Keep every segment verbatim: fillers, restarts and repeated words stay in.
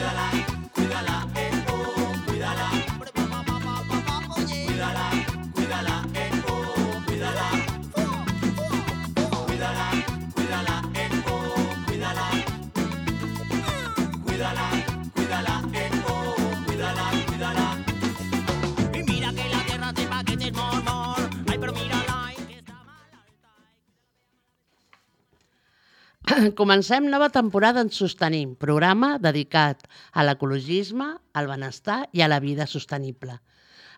cuídala, cuídala, eh, oh, cuídala. Cuídala, cuídala, eh, oh, cuídala. Cuídala, cuídala, eh, oh, cuídala. Cuídala, cuídala, eh, oh, cuídala, cuídala. Y mira que la tierra sepa que es mor, ay, pero mírala, que está mal. Comencem nova temporada en Sostenim, programa dedicat a l'ecologisme, al benestar i a la vida sostenible.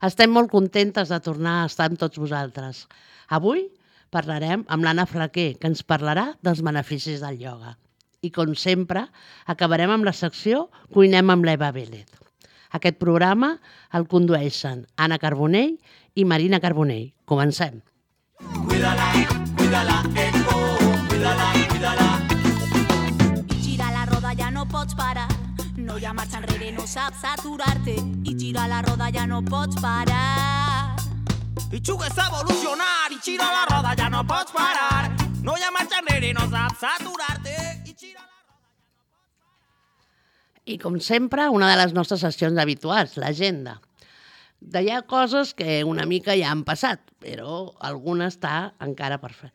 Estem molt contentes de tornar a estar amb tots vosaltres. Avui parlarem amb l'Anna Flaquer, que ens parlarà dels beneficis del ioga. I, com sempre, acabarem amb la secció Cuinem amb l'Eva Vélez. Aquest programa el condueixen Anna Carbonell i Marina Carbonell. Comencem. Cuídala, cuídala, eh, oh, cuídala, cuídala. I gira la roda, ja no pots parar. No hi ha marxa enrere, no saps aturar-te. I gira la roda, ja no pots parar. I jugues a evolucionar i gira la roda, ja no pots parar. No hi ha marxa enrere, no saps aturar-te. I gira la roda. I, com sempre, una de les nostres sessions habituals, l'agenda. Hi ha coses que una mica ja han passat, però alguna està encara per fer.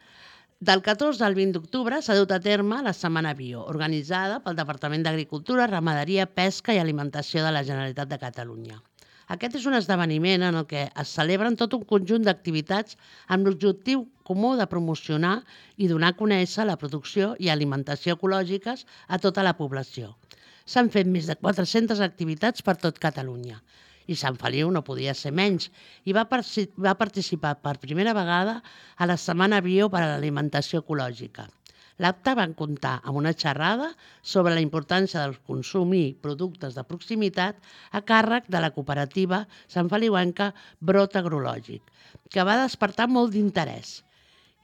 Del catorze al vint d'octubre s'ha dut a terme la Setmana Bio, organitzada pel Departament d'Agricultura, Ramaderia, Pesca i Alimentació de la Generalitat de Catalunya. Aquest és un esdeveniment en el que es celebren tot un conjunt d'activitats amb l'objectiu comú de promocionar i donar a conèixer la producció i alimentació ecològiques a tota la població. S'han fet més de quatre-centes activitats per tot Catalunya. I Sant Feliu no podia ser menys i va, va participar per primera vegada a la Setmana Bio per a l'Alimentació Ecològica. L'acte va comptar amb una xerrada sobre la importància de consumir productes de proximitat a càrrec de la cooperativa santfeliuenca Brot Agrològic, que va despertar molt d'interès.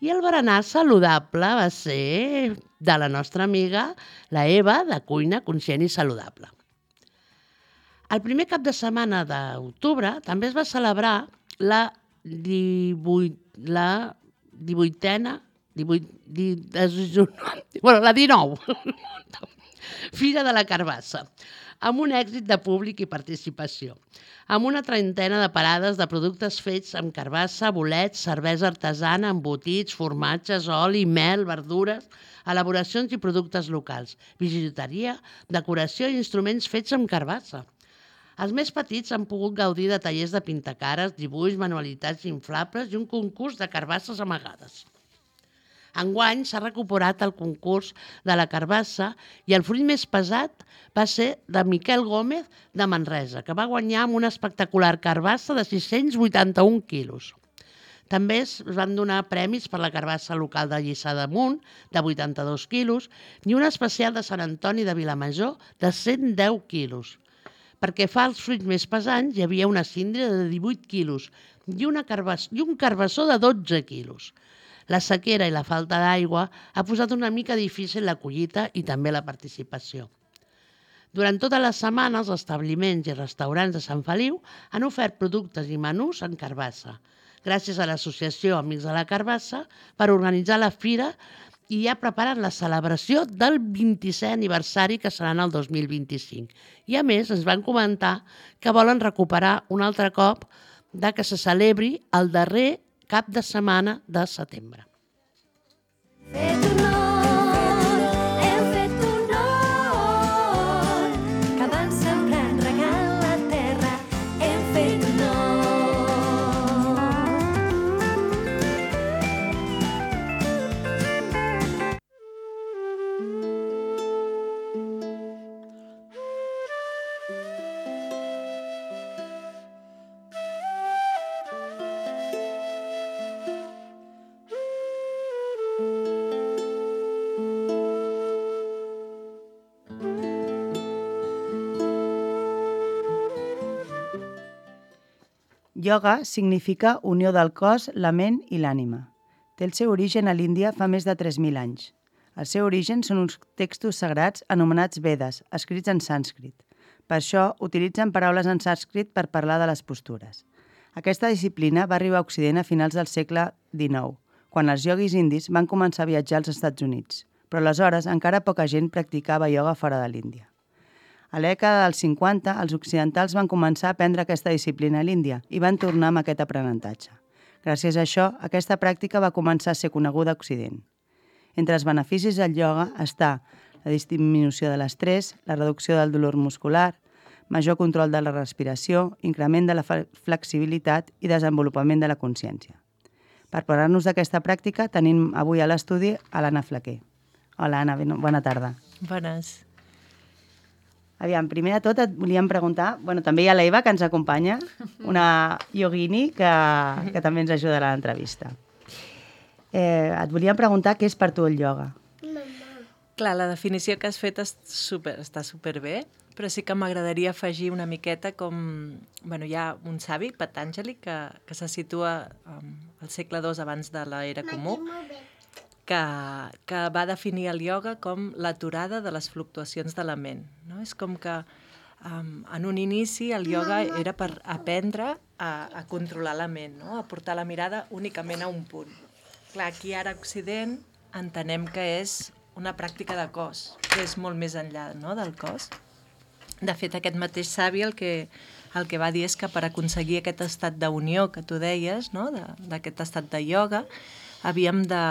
I el berenar saludable va ser de la nostra amiga, la Eva, de Cuina Conscient i Saludable. El primer cap de setmana d'octubre també es va celebrar la, divuit, la divuitena, divuit, di, bueno, la dinou, Fira de la Carbassa, amb un èxit de públic i participació, amb una trentena de parades de productes fets amb carbassa, bolets, cervesa artesana, embotits, formatges, oli, mel, verdures, elaboracions i productes locals, bijuteria, decoració i instruments fets amb carbassa. Els més petits han pogut gaudir de tallers de pintacares, dibuix, manualitats inflables i un concurs de carbasses amagades. Enguany s'ha recuperat el concurs de la carbassa i el fruit més pesat va ser de Miquel Gómez de Manresa, que va guanyar amb una espectacular carbassa de sis-cents vuitanta-un quilos. També es van donar premis per la carbassa local de Lliçà d'Amunt, de vuitanta-dos quilos, i una especial de Sant Antoni de Vilamajor, de cent deu quilos. Perquè fa els fruits més pesants hi havia una síndria de divuit quilos i, una carbass i un carbassó de dotze quilos. La sequera i la falta d'aigua ha posat una mica difícil la collita i també la participació. Durant tota la setmana, els establiments i restaurants de Sant Feliu han ofert productes i menús en carbassa, gràcies a l'associació Amics de la Carbassa per organitzar la fira i ja preparen la celebració del vint-i-setè aniversari que serà en el dos mil vint-i-cinc. I a més ens van comentar que volen recuperar un altre cop de que se celebri el darrer cap de setmana de setembre. Fet honor, hem fet honor, que van sembrant regant la terra, hem fet honor. Ioga significa unió del cos, la ment i l'ànima. Té el seu origen a l'Índia fa més de tres mil anys. El seu origen són uns textos sagrats anomenats Vedes, escrits en sànscrit. Per això utilitzen paraules en sànscrit per parlar de les postures. Aquesta disciplina va arribar a Occident a finals del segle dinou, quan els ioguis indis van començar a viatjar als Estats Units, però aleshores encara poca gent practicava ioga fora de l'Índia. A la dècada dels cinquanta, els occidentals van començar a aprendre aquesta disciplina a l'Índia i van tornar amb aquest aprenentatge. Gràcies a això, aquesta pràctica va començar a ser coneguda a Occident. Entre els beneficis del ioga està la disminució de l'estrès, la reducció del dolor muscular, major control de la respiració, increment de la flexibilitat i desenvolupament de la consciència. Per parlar-nos d'aquesta pràctica tenim avui a l'estudi a l'Anna Flaquer. Hola, Anna, bona tarda. Bones. Aviam, primer de tot et volíem preguntar, bueno, també hi ha l'Eva que ens acompanya, una yogini que, que també ens ajudarà a l'entrevista. Eh, et volíem preguntar què és per tu el ioga. Clar, la definició que has fet és super, està superbé, però sí que m'agradaria afegir una miqueta com... Bueno, hi ha un savi, Patanjali, que, que se situa um, al segle dos abans de l'era comú, que, que va definir el ioga com l'aturada de les fluctuacions de la ment. No? És com que um, en un inici el ioga era per aprendre a, a controlar la ment, no? A portar la mirada únicament a un punt. Clar, aquí ara a Occident entenem que és una pràctica de cos, que és molt més enllà, no?, del cos. De fet, aquest mateix savi el que, el que va dir és que per aconseguir aquest estat d'unió que tu deies, no?, d'aquest estat de ioga, havíem de,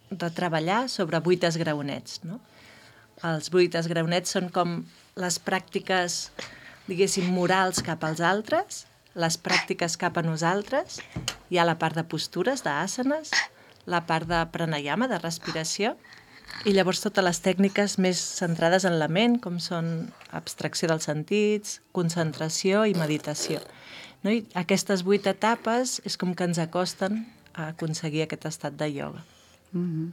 de treballar sobre vuit esgraonets. No? Els vuit esgraonets són com les pràctiques, diguéssim, morals cap als altres, les pràctiques cap a nosaltres, hi ha la part de postures, d'àsanes, la part de pranayama, de respiració, i llavors totes les tècniques més centrades en la ment, com són abstracció dels sentits, concentració i meditació. No? I aquestes vuit etapes és com que ens acosten a aconseguir aquest estat de ioga. Mm-hmm.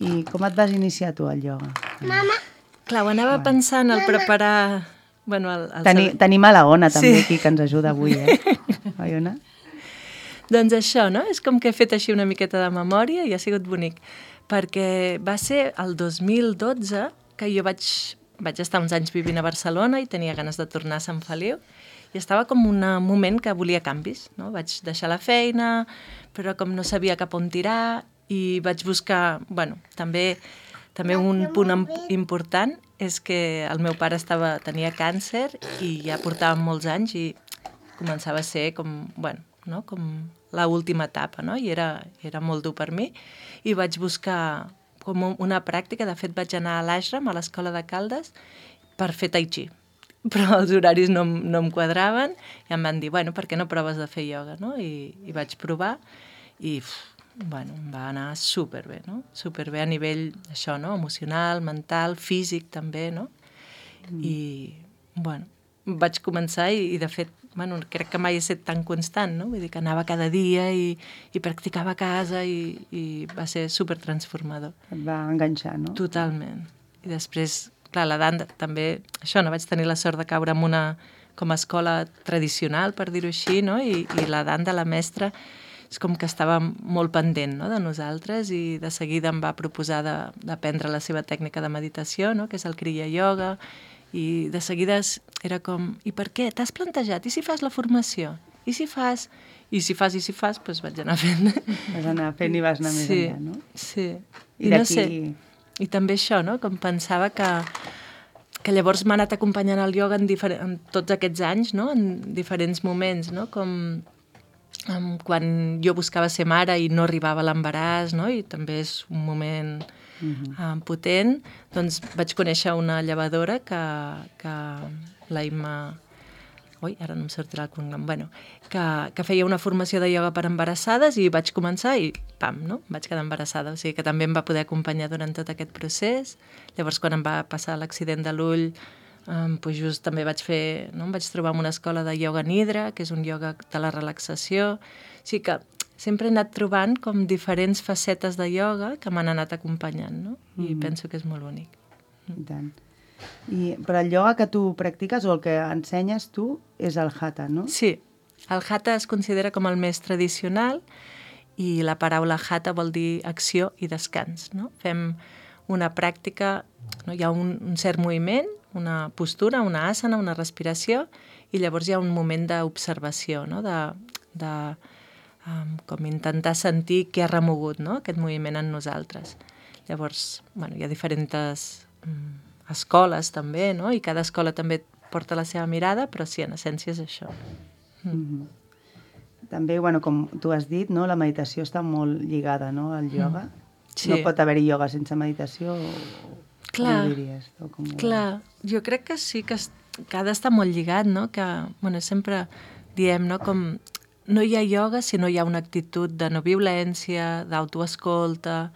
I com et vas iniciar tu al ioga? Mama. Clar, ho anava bueno. pensant al preparar... Bueno, el, el Teni, sal... Tenim a la Ona també sí. aquí, que ens ajuda avui, eh? Oi, Ona? Doncs això, no? És com que he fet així una miqueta de memòria i ha sigut bonic. Perquè va ser el dos mil dotze que jo vaig, vaig estar uns anys vivint a Barcelona i tenia ganes de tornar a Sant Feliu i estava com un moment que volia canvis, no? Vaig deixar la feina, però com no sabia cap on tirar i vaig buscar, bueno, també, també un punt important és que el meu pare estava, tenia càncer i ja portava molts anys i començava a ser com, bueno, no? Com l'última etapa, no? I era, era molt dur per mi. I vaig buscar com una pràctica, de fet vaig anar a l'Ashram, a l'escola de Caldes, per fer tai chi. Però els horaris no, no em quadraven i em van dir, bueno, per què no proves de fer ioga, no? I, i vaig provar i, uf, bueno, em va anar superbé, no? Superbé a nivell, això, no? Emocional, mental, físic també, no? Mm. I, bueno, vaig començar i, i de fet, bueno, crec que mai he estat tan constant, no? Vull dir que anava cada dia i, i practicava a casa i, i va ser supertransformador. Et va enganxar, no? Totalment. I després, clar, la dansa també, això, no vaig tenir la sort de caure en una com a escola tradicional, per dir-ho així, no? I, i la dansa, la mestra, és com que estava molt pendent, no?, de nosaltres i de seguida em va proposar d'aprendre la seva tècnica de meditació, no?, que és el Kriya Yoga, i de seguida era com, i per què? T'has plantejat? I si fas la formació? I si fas? I si fas, i si fas, doncs vaig anar fent. Vas anar fent i vas anar més sí, enllà, no? Sí, I, I no sé, i també això, no?, com pensava que, que llavors m'ha anat acompanyant el ioga en, en tots aquests anys, no?, en diferents moments, no?, com um, quan jo buscava ser mare i no arribava a l'embaràs, no?, i també és un moment... Uh-huh. Um, potent, doncs vaig conèixer una llevadora que, que la Imma, ui, ara no em sortirà el cognom, bueno, que, que feia una formació de ioga per embarassades i vaig començar i pam, no? Vaig quedar embarassada, o sigui que també em va poder acompanyar durant tot aquest procés. Llavors quan em va passar l'accident de l'ull, um, doncs just també vaig fer, no? Em vaig trobar en una escola de ioga nidra, que és un ioga de la relaxació, o sigui que sempre he anat trobant com diferents facetes de ioga que m'han anat acompanyant, no? I mm. penso que és molt bonic. I tant. I, però el ioga que tu practiques o el que ensenyes tu és el hatha, no? Sí. El hatha es considera com el més tradicional i la paraula hatha vol dir acció i descans, no? Fem una pràctica, no? Hi ha un, un cert moviment, una postura, una asana, una respiració i llavors hi ha un moment d'observació, no? De... de Um, com intentar sentir què ha remogut, no?, aquest moviment en nosaltres. Llavors, bueno, hi ha diferents um, escoles també, no? I cada escola també porta la seva mirada, però sí, en essència és això. Mm. Mm-hmm. També, bueno, com tu has dit, no? La meditació està molt lligada, no?, al ioga. Mm. Sí. No pot haver-hi ioga sense meditació? O... Clar, com ho diries? O com ho... clar, jo crec que sí, que, es, que ha d'estar molt lligat, no? Que, bueno, sempre diem, no?, com no hi ha ioga si no hi ha una actitud de no violència, d'autoescolta.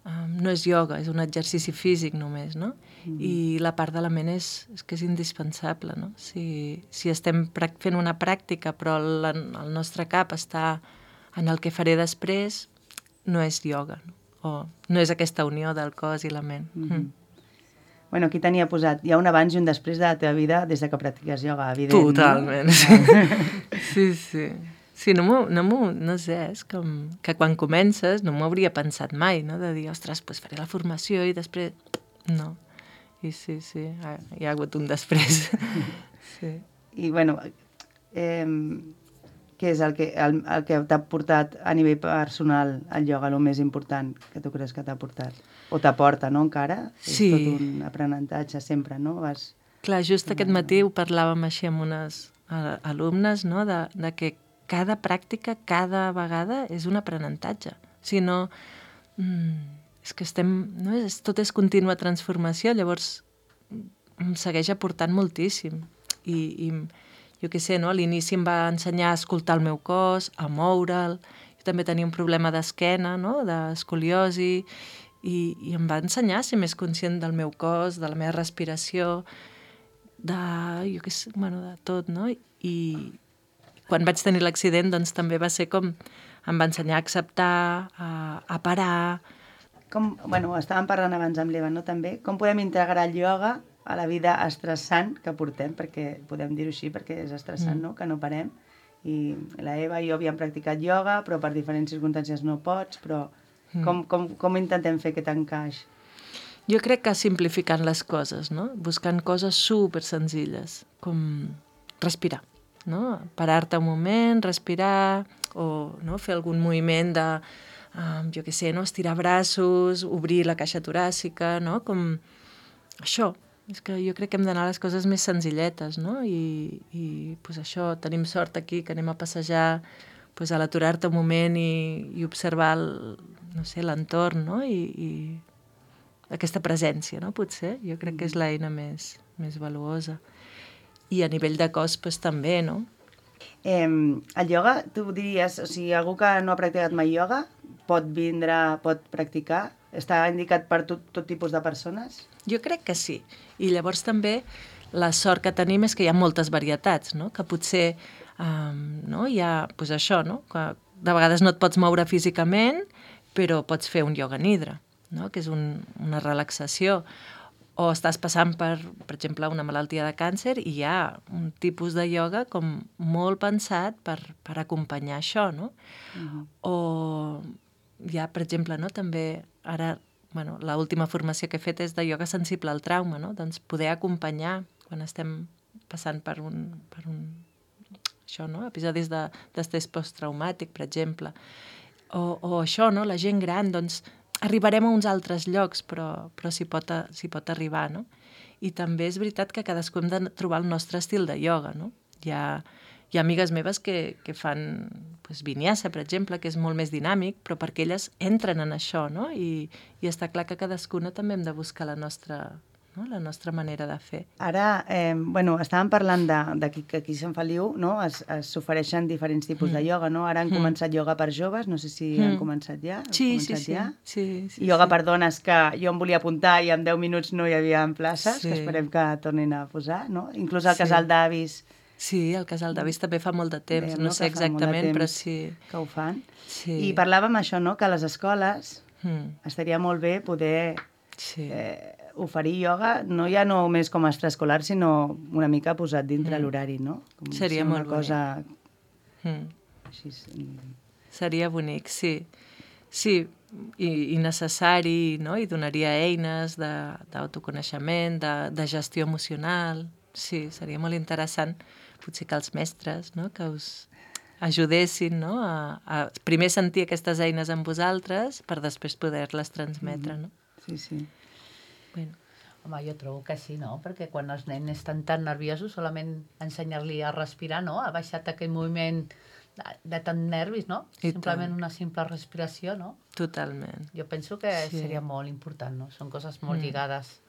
Um, no és ioga, és un exercici físic només, no? Mm. I la part de la ment és, és que és indispensable, no? Si, si estem fent una pràctica però la, el nostre cap està en el que faré després, no és ioga, no? O no és aquesta unió del cos i la ment. Mm. Mm. Bueno, aquí tenia posat, hi ha un abans i un després de la teva vida des de que practiques ioga, evident. Totalment, no? Sí. Sí, sí. Sí, no, no, no sé, és com que quan comences no m'ho hauria pensat mai, no?, de dir, ostres, doncs faré la formació i després... No. I sí, sí, hi ha hagut un després. Sí. I, bueno, eh, què és el que, el, el que t'ha portat a nivell personal al ioga, el més important que tu creus que t'ha portat? O t'aporta, no, encara? Sí. És tot un aprenentatge sempre, no? Vas... Clar, just aquest matí ho parlàvem així amb unes alumnes, no?, de, de que cada pràctica, cada vegada, és un aprenentatge. Si no, mm, és que estem... No? És, tot és contínua transformació, llavors em segueix aportant moltíssim. I, i jo què sé, no? A l'inici em va ensenyar a escoltar el meu cos, a moure'l. Jo també tenia un problema d'esquena, no?, d'escoliosi, i, i em va ensenyar a ser més conscient del meu cos, de la meva respiració, de, jo què sé, bueno, de tot, no? I quan vaig tenir l'accident, doncs també va ser com... Em va ensenyar a acceptar, a, a parar... Com, bueno, estàvem parlant abans amb l'Eva, no?, també. Com podem integrar el ioga a la vida estressant que portem, perquè podem dir-ho així, perquè és estressant, mm. no?, que no parem. I la Eva i jo havíem practicat ioga, però per diferents circumstàncies no pots, però mm. com, com, com intentem fer aquest encaix? Jo crec que simplificant les coses, no?, buscant coses super senzilles, com respirar. No? Parar-te un moment, respirar, o no? Fer algun moviment de, um, jo què sé, no? Estirar braços, obrir la caixa toràcica, no? Com això. És que jo crec que hem d'anar a les coses més senzilletes, no? I, i pues això, tenim sort aquí que anem a passejar, pues, a l'aturar-te un moment i, i observar el, no sé, l'entorn, no? I, i aquesta presència, no? Potser, jo crec que és l'eina més, més valuosa. I a nivell de cos, doncs, també, no? Eh, el ioga, tu diries, o sigui, algú que no ha practicat mai ioga pot vindre, pot practicar? Està indicat per tot, tot tipus de persones? Jo crec que sí. I llavors també la sort que tenim és que hi ha moltes varietats, no? Que potser um, no? Hi ha, doncs això, no? Que de vegades no et pots moure físicament, però pots fer un ioga nidra, no? Que és un, una relaxació. O estàs passant per, per exemple, una malaltia de càncer i hi ha un tipus de ioga com molt pensat per, per acompanyar això, no? Uh-huh. O hi ha, per exemple, no? També ara, bueno, l'última formació que he fet és de ioga sensible al trauma, no? Doncs poder acompanyar quan estem passant per un, per un això, no? Episodis de, d'estrès posttraumàtic, per exemple. O, o això, no? La gent gran, doncs, arribarem a uns altres llocs, però, però s'hi pot, s'hi pot arribar, no? I també és veritat que cadascú hem de trobar el nostre estil de ioga, no? Hi ha, hi ha amigues meves que, que fan pues, vinyasa, per exemple, que és molt més dinàmic, però perquè elles entren en això, no? I, i està clar que cadascuna també hem de buscar la nostra, no? La nostra manera de fer. Ara, eh, bueno, estàvem parlant de, de que, que aquí a Sant Feliu, no? Es, es s'ofereixen diferents tipus mm. de ioga, no? Ara han mm. començat ioga per joves, no sé si mm. han començat ja. Sí, començat sí, ja? sí, sí, sí. Ioga sí. per dones que jo em volia apuntar i en deu minuts no hi havia places, sí. que esperem que tornin a posar, no? Inclús el sí. casal d'avis. Sí, el casal d'avis també fa molt de temps, Bé, no, no sé exactament, però sí. Que ho fan. Sí. I parlàvem això, no?, que a les escoles mm. estaria molt bé poder sí. eh, oferir ioga, no ja només com a extraescolar, sinó una mica posat dintre mm. l'horari, no? Com Seria si molt una cosa... Mm. Així, seria bonic, sí. Sí, i, i necessari, no? I donaria eines de, d'autoconeixement, de, de gestió emocional. Sí, seria molt interessant. Potser que els mestres, no?, que us ajudessin, no?, a, a primer sentir aquestes eines en vosaltres per després poder-les transmetre, no? Sí, sí. Bueno. Home, jo trobo que sí, no? Perquè quan els nens estan tan nerviosos, solament ensenyar-li a respirar, no? Ha baixat aquell moviment de, de tant nervis, no? I Simplement tant. una simple respiració, no? Totalment. Jo penso que Sí. seria molt important, no? Són coses molt Mm. lligades.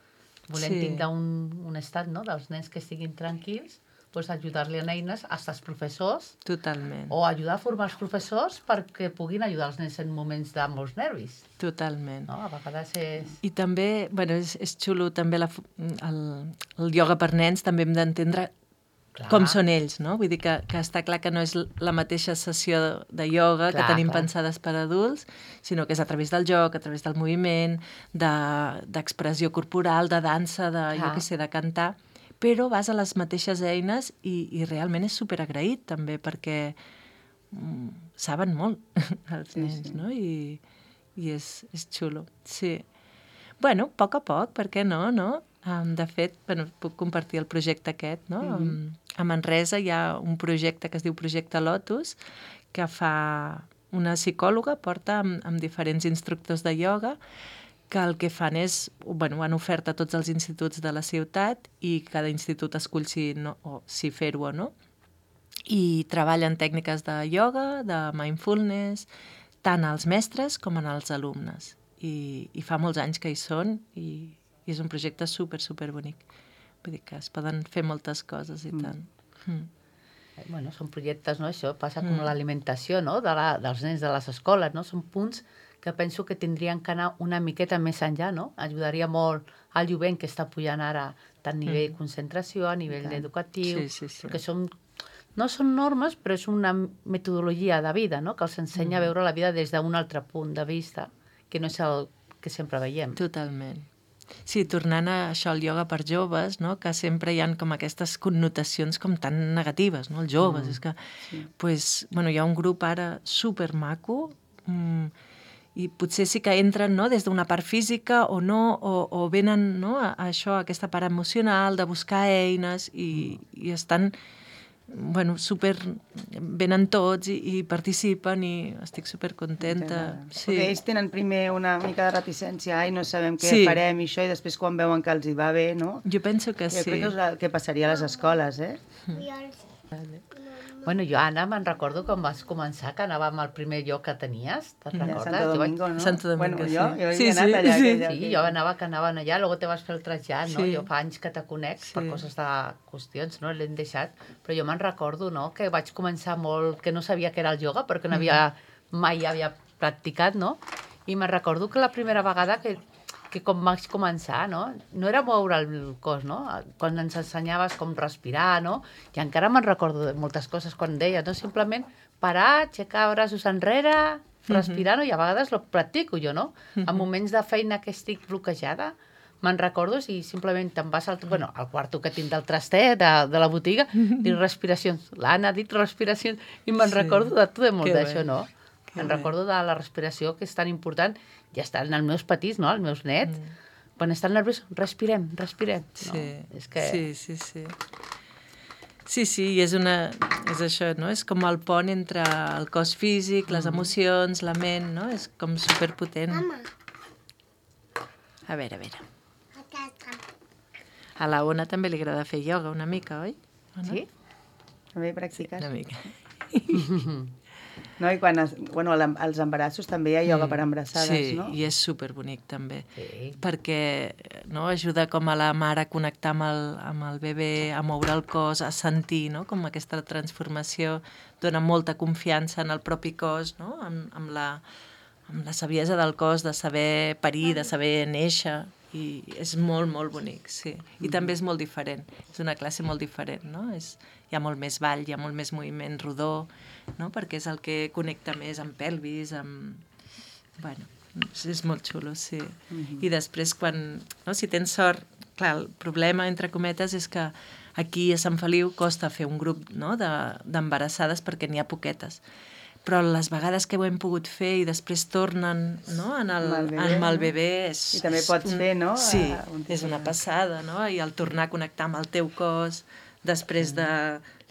Volem Sí. tindre un, un estat, no?, dels nens que estiguin tranquils, doncs ajudar-li en eines als professors Totalment. o ajudar a formar els professors perquè puguin ajudar els nens en moments de molts nervis, Totalment. no? A vegades és... I també, bueno, és, és xulo també la, fu- el, el ioga per nens, també hem d'entendre Clar. com són ells, no? Vull dir que, que està clar que no és la mateixa sessió de ioga Clar, que tenim clar. pensades per adults, sinó que és a través del joc, a través del moviment, de- d'expressió corporal, de dansa, de, jo Clar. què sé, de cantar, però vas a les mateixes eines i, i realment és superagraït també, perquè mm, saben molt els Sí, nens, sí. no? I, i és, és xulo, sí. Bueno, a poc a poc, per què no, no? Um, de fet, bueno, puc compartir el projecte aquest, no? Mhm. um, a Manresa hi ha un projecte que es diu Projecte Lotus, que fa una psicòloga, porta amb, amb diferents instructors de ioga, que el que fan és, bueno, han ofert a tots els instituts de la ciutat i cada institut escull si, no, o si fer-ho o no, i treballen tècniques de ioga, de mindfulness, tant als mestres com en els alumnes. I, i fa molts anys que hi són i, i és un projecte super, super bonic. Vull dir que es poden fer moltes coses i Mm. tant. Mm. Eh, Bueno, són projectes, no? Això passa com Mm. l'alimentació, no?, de la, dels nens de les escoles, no? Són punts que penso que tindrien que anar una miqueta més enllà, no? Ajudaria molt al jovent que està pujant ara tant a nivell de concentració, a nivell tant. educatiu, Sí, sí, sí. perquè són, no són normes, però és una metodologia de vida, no?, que els ensenya a veure la vida des d'un altre punt de vista, que no és el que sempre veiem. Totalment. Sí, tornant a això, al ioga per joves, no? Que sempre hi ha com aquestes connotacions com tan negatives, no? Els joves, mm. és que... Sí. Pues, bueno, hi ha un grup ara supermaco mm, i potser sí que entren, no?, des d'una part física o no, o, o venen, no?, a, a això, a aquesta part emocional de buscar eines i, i estan, bueno, super... venen tots i, i participen i estic supercontenta. Sí. Perquè ells tenen primer una mica de reticència, ai, no sabem què Sí. farem i això, i després quan veuen que els hi va bé, no? Jo penso que Jo sí. crec que és el que passaria a les escoles, eh? Bueno, jo, Anna, me'n recordo quan vas començar, que anàvem al primer lloc que tenies, te'n A recordes? Santo Jo vaig- Domingo, no? Santo Domingo, bueno, sí. jo, jo Sí, he anat sí, allà. sí. aquella- Sí, jo anava que anaven allà, luego te vas fer el trasllat, no? Sí. Jo fa anys que te conec per Sí. coses de qüestions, no? L'hem deixat. Però jo me'n recordo, no?, que vaig començar molt... que no sabia què era el ioga, perquè no havia... mai havia practicat, no? I me'n recordo que la primera vegada que, que com vaig començar, no? No era moure el cos, no? Quan ens ensenyaves com respirar, no? I encara me'n recordo de moltes coses quan deia, no? Simplement parar, aixecar braços enrere, respirar, no? I a vegades lo practico jo, no? En moments de feina que estic bloquejada, me'n recordo i simplement te'n vas al, bueno, al quarto que tinc del trastet, de, de la botiga, dic respiracions. L'Anna ha dit respiracions i me'n Sí. recordo de tot de molt Que d'això, bé. no? Que Em bé. recordo de la respiració, que és tan important, ja estan els meus petits, no?, els meus nets, quan estan nerviosos, respirem, respirem. No? Sí, És que... sí, sí, sí. Sí, sí, i és una... és això, no? És com el pont entre el cos físic, les emocions, la ment, no? És com superpotent. Mama, A veure, a veure. aquesta. A la Ona també li agrada fer ioga una mica, oi? Ona? Sí? També practiques? Una mica. No? I quan es, bueno, l'em- als embarassos també hi ha ioga per embarassades, sí, no? i és superbonic també. Sí. Perquè no, ajuda com a la mare a connectar amb el, amb el bebè, a moure el cos, a sentir, no? Com aquesta transformació, dona molta confiança en el propi cos, no? amb, amb, la, amb la saviesa del cos, de saber parir, de saber néixer, i és molt, molt bonic, sí. I també és molt diferent, és una classe molt diferent, no? És, hi ha molt més ball, hi ha molt més moviment rodó, no? Perquè és el que connecta més amb pelvis, amb... Bueno, és, és molt xulo, sí. I després, quan... No? Si tens sort... Clar, el problema, entre cometes, és que aquí a Sant Feliu costa fer un grup, no? de, d'embarassades perquè n'hi ha poquetes. Però les vegades que ho hem pogut fer i després tornen, no? en el, Amb el bebè, amb el no? bebè és... I també és pots un- fer, no? Sí, A- un és una tipus de- passada, no? I el tornar a connectar amb el teu cos després de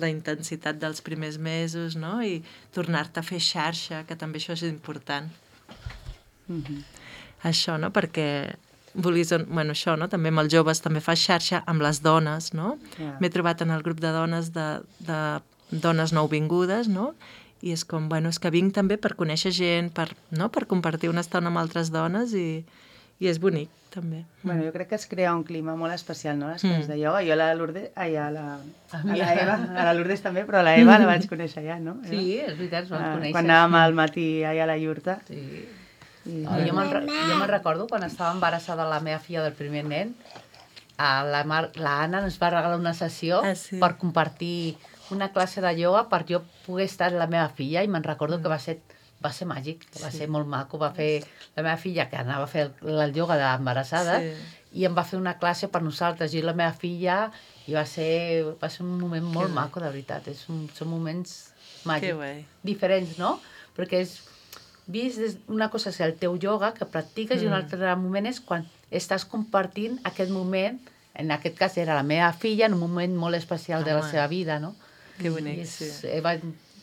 la intensitat dels primers mesos, no? I tornar-te a fer xarxa, que també això és important. Mhm. Això, no? Perquè vulguis, bueno, això, no? També amb els joves, també fa xarxa amb les dones, no? Ja. M'he trobat en el grup de dones de, de dones nouvingudes, no? I és com, bueno, és que vinc també per conèixer gent, per, no? Per compartir una estona amb altres dones i, i és bonic, també. Bueno, jo crec que es crea un clima molt especial, no?, les classes de ioga. Jo a la Lourdes, ai, a la, a la Eva, a la Lourdes també, però a la Eva la vaig conèixer ja, no? Eva? Sí, és veritat, ens vam Ah, conèixer. quan anàvem al matí allà a la iurta. Sí. I, No, jo me'n re- jo me'n recordo quan estava embarassada la meva filla del primer nen, a la, Mar, la Anna ens va regalar una sessió Ah, sí. per compartir una classe de ioga per jo poder estar amb la meva filla i me'n recordo que va ser, va ser màgic, va ser molt maco. Va fer la meva filla, que anava a fer el, el ioga d'embarassada, Sí. i em va fer una classe per nosaltres, jo i la meva filla, i va ser, va ser un moment molt guai. maco, de veritat. És un, són moments Que màgics, guai. diferents, no? Perquè és vist des, una cosa és el teu ioga que practiques mm. i un altre moment és quan estàs compartint aquest moment, en aquest cas era la meva filla, en un moment molt especial de la Home. seva vida, no? Que bonic, I és, sí. eh, va,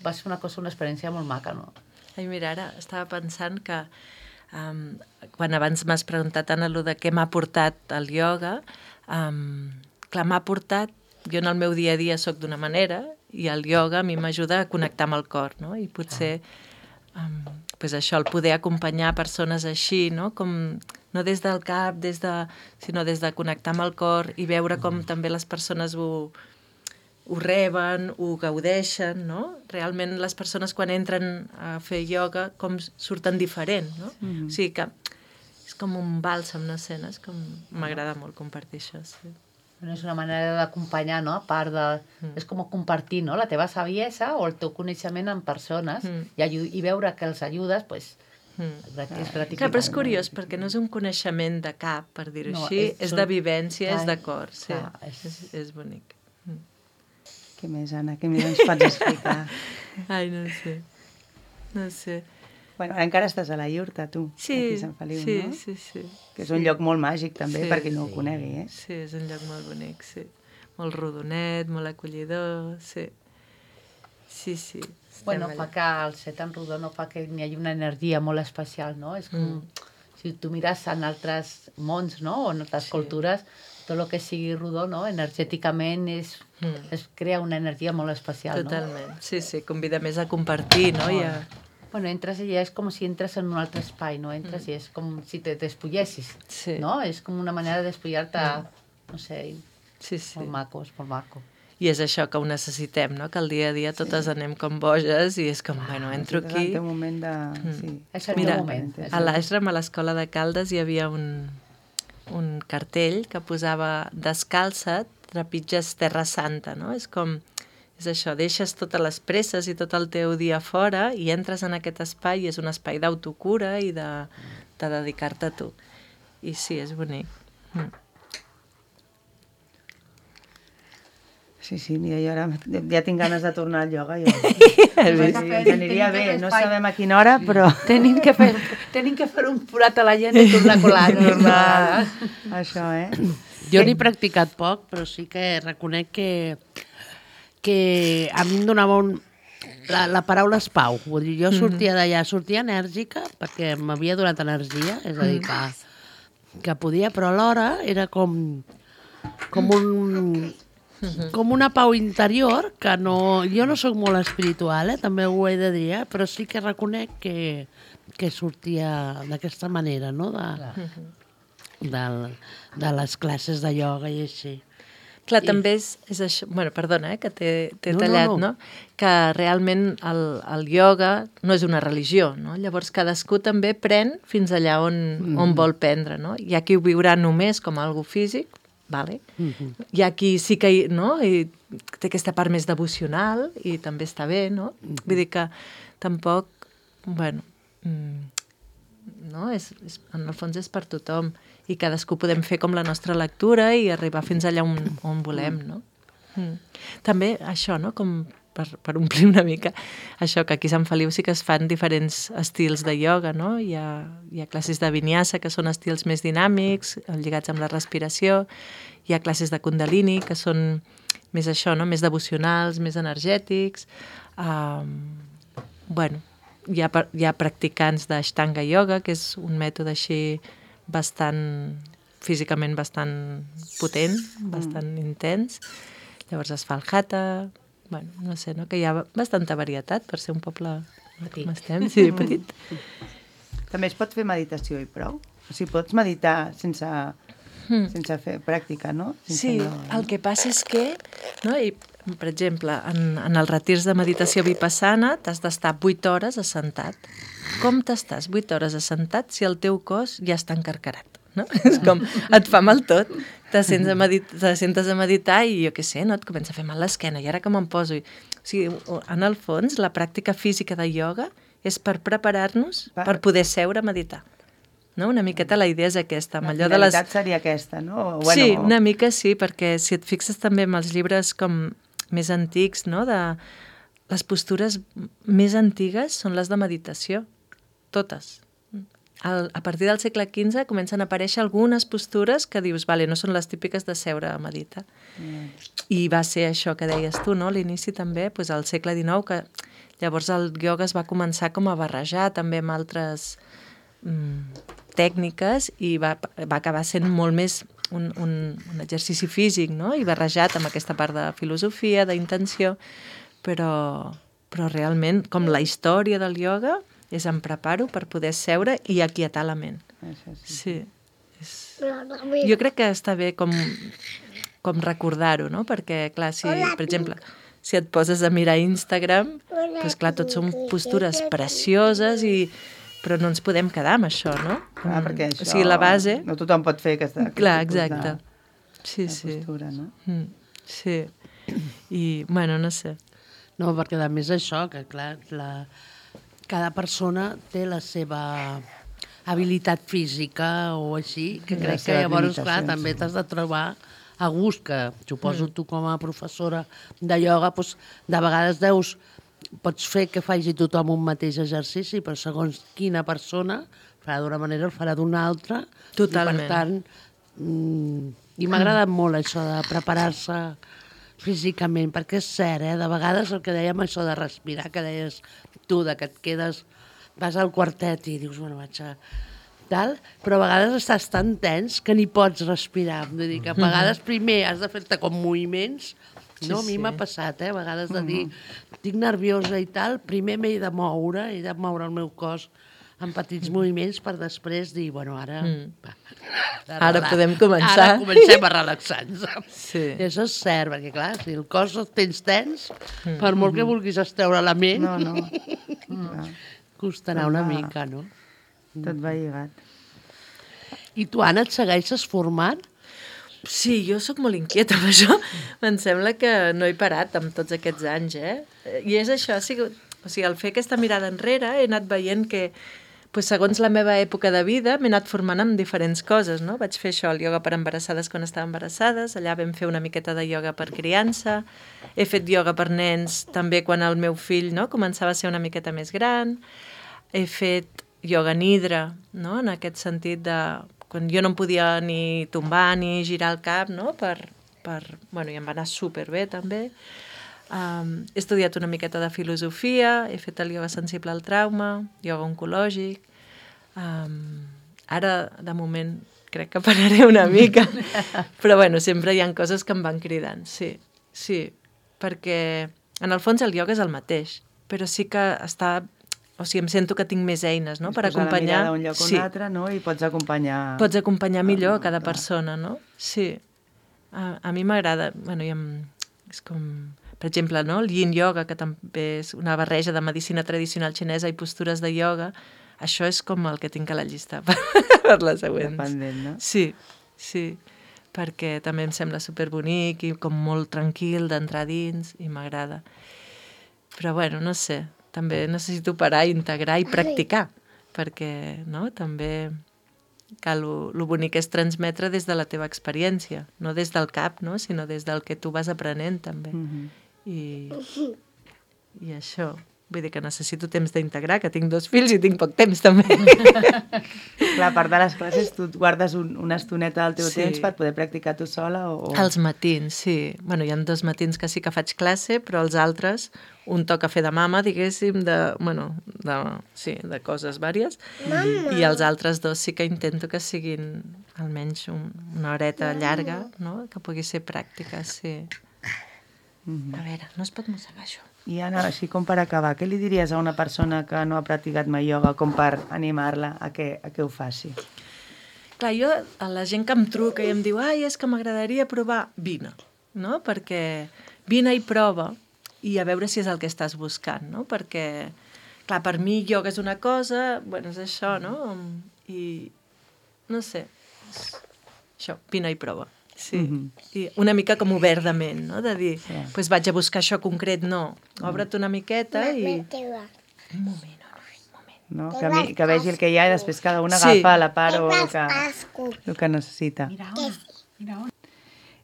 va ser una cosa, una experiència molt maca, no? Ai, mira, ara estava pensant que um, quan abans m'has preguntat, Anna, allò de què m'ha portat el ioga, um, clar, m'ha portat, jo en el meu dia a dia sóc d'una manera i el ioga a mi m'ajuda a connectar amb el cor, no? I potser um, pues això, el poder acompanyar persones així, no? Com, no des del cap, des de, sinó des de connectar amb el cor i veure com també les persones ho, ho reben, ho gaudeixen, no? Realment les persones quan entren a fer ioga com surten diferent, no? Mm-hmm. O sigui que és com un bàlsam, no sé, no? És com... M'agrada molt compartir això, sí. Bueno, és una manera d'acompanyar, no? A part de... Mm. És com compartir, no? La teva saviesa o el teu coneixement amb persones Mm. i, aju- i veure que els ajudes, pues, Mm. grat- és gratificant. Clar, però és curiós, perquè no és un coneixement de cap, per dir-ho No, així, és- és, són- de vivència, clar, és de cor, sí. clar, és- És, és bonic. Què més, Anna? Què més ens pots explicar? Ai, no sé. No sé. Bueno, ara encara estàs a la iurta, tu, Sí, aquí a Sant Feliu, sí, no? sí, sí. Que és un lloc molt màgic, també, Sí. per qui no ho conegui, eh? Sí, és un lloc molt bonic, sí. Molt rodonet, molt acollidor, sí. Sí, sí. estem Bueno, allà. fa que el ser tan rodó no fa que hi hagi una energia molt especial, no? És com... Mm. Si tu mires en altres mons, no? O en altres Sí. cultures, tot el que sigui rodó, no? Energèticament és, Mm. es crea una energia molt especial, no? Totalment. Sí, sí, convida més a compartir, no? I a... Bueno, entres i ja és com si entres en un altre espai, no? Entres i és com si te despullessis, Sí. no? És com una manera de despullar-te, no sé, Sí, sí. molt maco, és molt maco. I és això que ho necessitem, no? Que al dia a dia totes anem com boges i és com, bueno, entro Estàs aquí... al teu moment de... Mm. Sí. És el Mira, teu moment. És a l'Ashram, a l'escola de Caldes, hi havia un, un cartell que posava descalça't, trepitges Terra Santa, no? És com, és això, deixes totes les presses i tot el teu dia fora i entres en aquest espai i és un espai d'autocura i de, de dedicar-te a tu. I sí, és bonic. Mm. Sí, sí, mira, jo ara ja tinc ganes de tornar al ioga. Jo. Has vist? Sí, ens aniria bé, no sabem a quina hora, però... Tenim que fer, tenim que fer un forat a la gent i tornar a colar. Tornar... Això, eh? Jo n'he practicat poc, però sí que reconec que, que a mi em donava un... La, la paraula és pau. Vull dir, jo sortia d'allà, sortia enèrgica, perquè m'havia donat energia, és a dir, que, que podia, però alhora era com, com un... com una pau interior que no... Jo no sóc molt espiritual, eh? També ho he de dir, eh? Però sí que reconec que, que sortia d'aquesta manera, no? De, de, de les classes de ioga i així. Clar, I- també és, és això... Bueno, perdona, eh, que t'he t'he No, no, tallat, no. no, Que realment el, el ioga no és una religió, no? Llavors cadascú també pren fins allà on, Mm. on vol prendre, no? Hi ha qui ho viurà només com algo físic, vale? Mm-hmm. Hi ha qui sí que hi, no? I té aquesta part més devocional i també està bé, no? Mm-hmm. Vull dir que tampoc, bueno, mm, no? És, és, en el fons és per tothom i cadascú podem fer com la nostra lectura i arribar fins allà on, on volem, no? Mm. També això, no? Com per, per omplir una mica això, que aquí a Sant Feliu sí que es fan diferents estils de ioga, no? Hi ha, hi ha classes de vinyasa, que són estils més dinàmics, lligats amb la respiració, hi ha classes de kundalini, que són més això, no? Més devocionals, més energètics. Um, bueno, hi ha, hi ha practicants d'Ashtanga Yoga, que és un mètode així bastant físicament bastant potent, bastant mm. intens. Llavors es fa el hatha, bueno, no sé, no? Que hi ha bastanta varietat per ser un poble petit. Com estem, sí, petit. També es pot fer meditació i prou? O sigui, pots meditar sense, mm. sense fer pràctica, no? Sense Sí, no, el que passa és que, no? I, per exemple, en, en els retirs de meditació vipassana t'has d'estar vuit hores assentat. Com t'estàs vuit hores assentat si el teu cos ja està encarcarat? No? És com, et fa mal tot, te sents a medit- te sentes a meditar i jo què sé, no? Et comença a fer mal l'esquena i ara que me'n poso. I... O sigui, en el fons, la pràctica física de ioga és per preparar-nos per, per poder seure a meditar. No? Una miqueta la idea és aquesta. La allò de les... finalitat seria aquesta, no? O, bueno, sí, una mica sí, perquè si et fixes també en els llibres com més antics, no? De... les postures més antigues són les de meditació, totes. Al, a partir del segle quinze comencen a aparèixer algunes postures que dius, vale, no són les típiques de seure a meditar. Mm. I va ser això que deies tu, no? A l'inici també, doncs al segle dinou, que llavors el ioga es va començar com a barrejar també amb altres mm, tècniques i va, va acabar sent molt més un, un, un exercici físic, no? I barrejat amb aquesta part de filosofia, d'intenció, però, però realment, com la història del ioga, és em preparo per poder seure i aquietar la ment. Això sí. Sí. És... Jo crec que està bé com, com recordar-ho, no? Perquè, clar, si, per exemple, si et poses a mirar Instagram, doncs clar, tot són postures precioses, i... però no ens podem quedar amb això, no? Clar, perquè això... O sigui, la base... No tothom pot fer aquesta... aquest clar, tipus exacte. De, sí, de sí. postura, no? Mm, sí. I, bueno, no sé. No, perquè a més això, que clar, la... cada persona té la seva habilitat física o així, que Les crec que seves llavors, clar, limitacions. també t'has de trobar a gust, que suposo tu com a professora de ioga, doncs, de vegades deus, pots fer que faci tothom un mateix exercici, però segons quina persona farà d'una manera o farà d'una altra. Totalment. I per tant, mm, i m'ha agradat molt això de preparar-se físicament, perquè és cert, eh? De vegades el que dèiem això de respirar, que deies tu, de que et quedes, vas al quartet i dius, bueno, vaig a... tal, però a vegades estàs tan tens que ni pots respirar. Vull dir que a vegades primer has de fer-te com moviments, no? A mi m'ha passat, eh? A vegades de dir, estic nerviosa i tal, primer m'he de moure, he de moure el meu cos en petits moviments per després dir, bueno, ara... Mm. Va, ara podem començar. Ara comencem a relaxar-nos. Sí. I això és cert, perquè clar, si el cos el tens tens, mm. per molt que vulguis estreure la ment, No, no. no. costarà una mica, no? Tot va lligat. I tu, Anna, et segueixes formant? Sí, jo sóc molt inquieta amb això. Em sembla que no he parat amb tots aquests anys, eh? I és això, ha sigut... O sigui, al fer aquesta mirada enrere he anat veient que, pues, segons la meva època de vida, m'he anat formant amb diferents coses, no? Vaig fer això, el ioga per embarassades quan estava embarassades, allà vam fer una miqueta de ioga per criança, he fet ioga per nens també quan el meu fill, no?, començava a ser una miqueta més gran, he fet ioga nidra, no?, en aquest sentit de... quan jo no em podia ni tombar ni girar el cap, no?, per... per bueno, i em va anar superbé també. Um, he estudiat una miqueta de filosofia, he fet el ioga sensible al trauma, ioga oncològic. Um, ara, de moment, crec que pararé una mica, però bueno, sempre hi ha coses que em van cridant, sí, sí, perquè en el fons el ioga és el mateix, però sí que està... O sigui, em sento que tinc més eines, no?, per acompanyar... Posar la mirada un lloc o sí. un altre, no?, i pots acompanyar... Pots acompanyar millor Ah, cada clar. persona, no? Sí. A, a mi m'agrada... Bueno, i em, és com... Per exemple, no? El yin yoga, que també és una barreja de medicina tradicional xinesa i postures de ioga, això és com el que tinc a la llista per, per les següents. Dependent, no? Sí, sí, perquè també em sembla superbonic i com molt tranquil d'entrar dins i m'agrada. Però bueno, no sé, també necessito parar, integrar i practicar, perquè no? També que lo, lo bonic és transmetre des de la teva experiència, no des del cap, no? Sinó des del que tu vas aprenent també. Mm-hmm. I, i això. Vull dir que necessito temps d'integrar, que tinc dos fills i tinc poc temps també. Clar, a part de les classes, tu et guardes un, una estoneta del teu Sí. temps per poder practicar tu sola? O, o... Els matins, sí. Bueno, hi ha dos matins que sí que faig classe, però els altres, un toca fer de mama, diguéssim, de, bueno, de, sí, de coses vàries, i els altres dos sí que intento que siguin almenys un, una horeta llarga, no? Que pugui ser pràctica, sí. A veure, no es pot mossegar això. I Anna, així com per acabar, què li diries a una persona que no ha practicat mai ioga com per animar-la a que, a que ho faci? Clar, jo, a la gent que em truca i em diu ai, és que m'agradaria provar, vine, no? Perquè vine i prova i a veure si és el que estàs buscant, no? Perquè, clar, per mi ioga és una cosa, bueno, és això, no? I, no sé, és això, vine i prova. Sí, Mhm. i una mica com obert de ment, no? De dir, Sí. pues vaig a buscar això concret, no. Obre't una miqueta i... Un moment, no, un moment. No? Que, mi, que vegi el que hi ha i després cada una Sí. agafa a la part o el que, el que necessita. Mira on, mira on.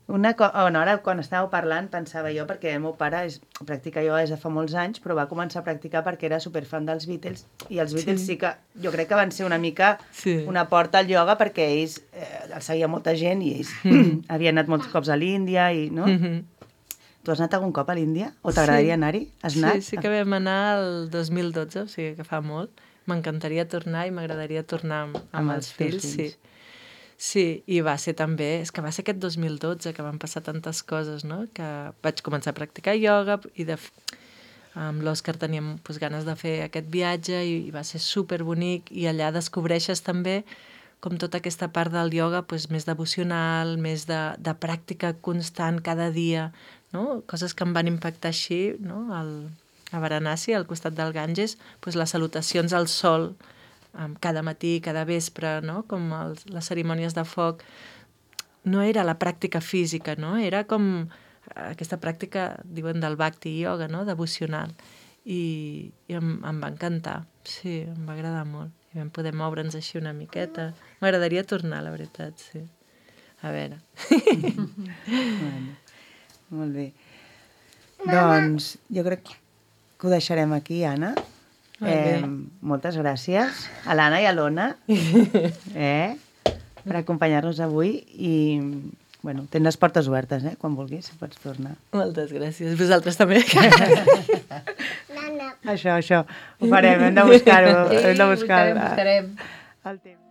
Una co bueno, ara, quan estàveu parlant, pensava jo, perquè el meu pare és, practica ioga des de fa molts anys, però va començar a practicar perquè era superfan dels Beatles, i els Beatles sí, sí que jo crec que van ser una mica Sí. una porta al ioga, perquè ells, eh, els seguia molta gent, i ells havien anat molts cops a l'Índia, i, no? Mhm. Tu has anat algun cop a l'Índia? O t'agradaria Sí. anar-hi? Has Sí, anat? sí que vam anar el dos mil dotze, o sigui que fa molt. M'encantaria tornar i m'agradaria tornar amb, amb, Amb els els teus fills, sí. fills. Sí, i va ser també, és que va ser aquest dos mil dotze que van passar tantes coses, no? Que vaig començar a practicar ioga i de, f- amb l'Òscar teníem pues, ganes de fer aquest viatge i, i va ser superbonic i allà descobreixes també com tota aquesta part del ioga pues, més devocional, més de, de pràctica constant cada dia, no? Coses que em van impactar així, no? Al, a Varanasi, al costat del Ganges, pues, les salutacions al sol, um, cada matí, cada vespre, no? Com els, les cerimònies de foc. No era la pràctica física, no? Era com aquesta pràctica, diuen, del bhakti yoga, no? Devocional. I, i em, em va encantar, sí, em va agradar molt. I vam poder moure'ns així una miqueta. M'agradaria tornar, la veritat, sí. A veure. Bueno, molt bé. Doncs jo crec que ho deixarem aquí, Anna. Molt bé. Eh, moltes gràcies a l'Anna i a l'Ona eh, per acompanyar-nos avui i bueno, tens les portes obertes, eh? Quan vulguis pots tornar. Moltes gràcies. Vosaltres també. Això, això, ho farem, hem de buscar-ho. Sí, hem de buscar buscarem, buscarem. el temps.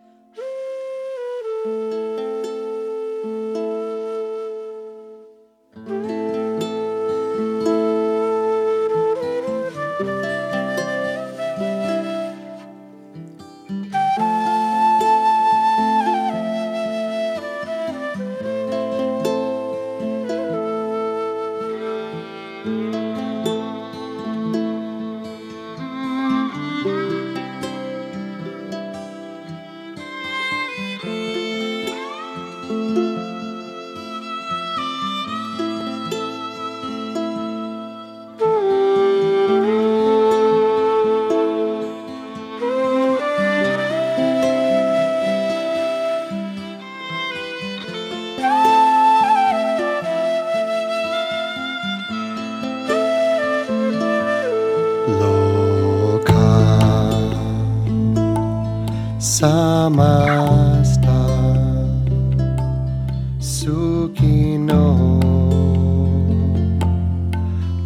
Loka samasta sukhino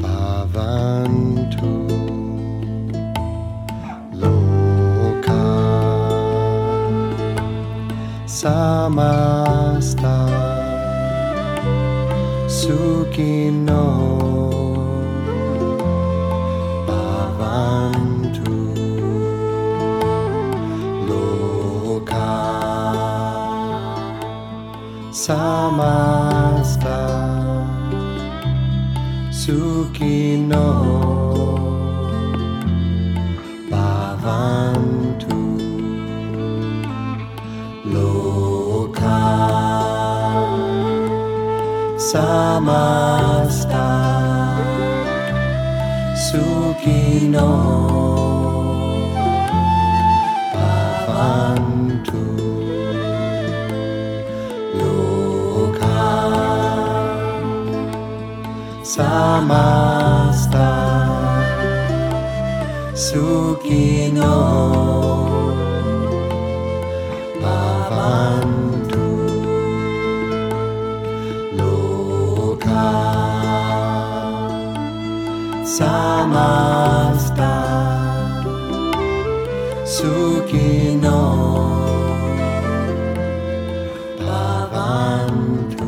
bhavantu. Loka samasta sukhino bhavantu. Loka samasta sukhino bhavantu. Loka samasta sukhino bhavantu. Loka samasta Sukino Bhavantu Loka Samasta Sukino Bhavantu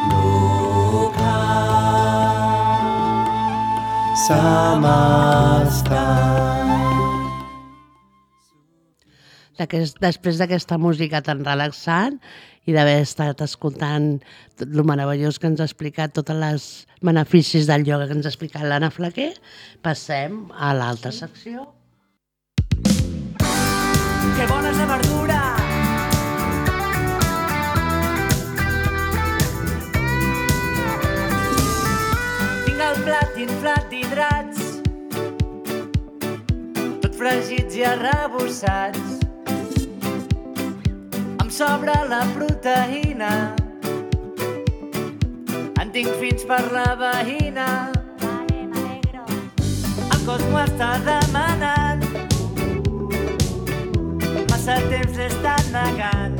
Loka Samasta. D'aquest, després d'aquesta música tan relaxant i d'haver estat escoltant tot el meravellós que ens ha explicat, tots els beneficis del ioga que ens ha explicat l'Anna Flaquer, passem a l'altra secció. Que bona és la verdura! Tinc el plat inflat d'hidrats, tot fregits i arrebossats. Em sobra la proteïna, en tinc fins per la veïna. El cos m'ho està demanant, massa temps l'he estat negant.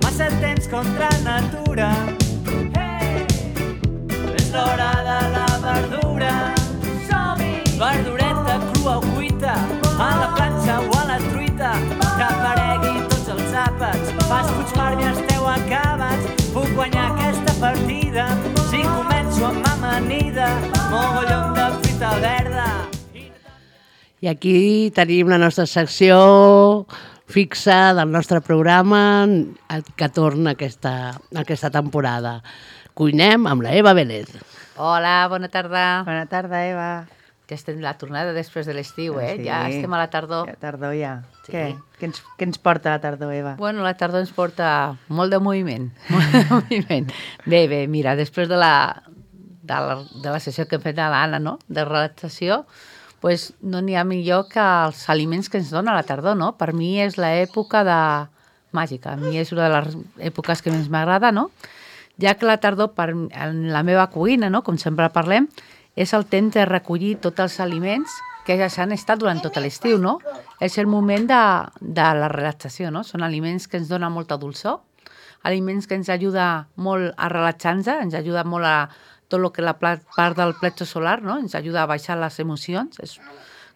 Massa temps contra natura. Hey! És l'hora de la verdura. Som-hi! Verdureta crua o cuita, a la planxa o a la truita, que aparegui tots els àpats. Fas fuig per mi esteu acabats. Puc guanyar aquesta partida si començo amb amanida, mogollon de fruita verda. I aquí tenim la nostra secció fixa del nostre programa que torna aquesta, aquesta temporada. Cuinem amb la Eva Vélez. Hola, bona tarda. Bona tarda, Eva. Ja estem la tornada després de l'estiu, eh? Sí. Ja estem a la tardor. Ja, tardor ja. Sí. Què? Què ens, què ens porta la tardor, Eva? Bueno, la tardor ens porta molt de moviment. Molt de moviment. Bé, bé, mira, després de la, de la, de la sessió que hem fet a l'Anna, no?, de relaxació, pues no n'hi ha millor que els aliments que ens dona la tardor, no? Per mi és l'època de màgica. A mi és una de les èpoques que més m'agrada, no? Ja que la tardor, per, en la meva cuina, no?, com sempre parlem, és el temps de recollir tots els aliments que ja s'han estat durant tot l'estiu, no? És el moment de, de la relaxació, no? Són aliments que ens donen molta dolçor, aliments que ens ajuda molt a relaxar-nos, ens ajuda molt a tot el que la part del plexo solar, no? Ens ajuda a baixar les emocions, és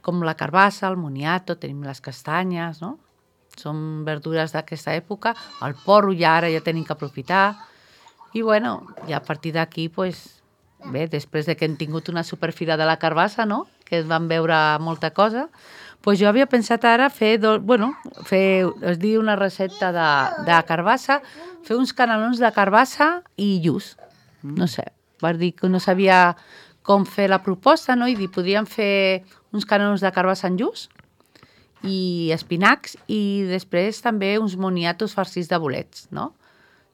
com la carbassa, el moniato, tenim les castanyes, no? Són verdures d'aquesta època, el porro ja ara ja tenim que aprofitar, i bueno, ja a partir d'aquí, pues, bé, després de que hem tingut una superfira de la carbassa, no?, que vam veure molta cosa, pues jo havia pensat ara fer, do, bueno, fer, es diu una recepta de, de carbassa, fer uns canelons de carbassa i lluç. No sé, va dir que no sabia com fer la proposta, no?, i dir, podríem fer uns canelons de carbassa en lluç i espinacs i després també uns moniatos farcits de bolets, no?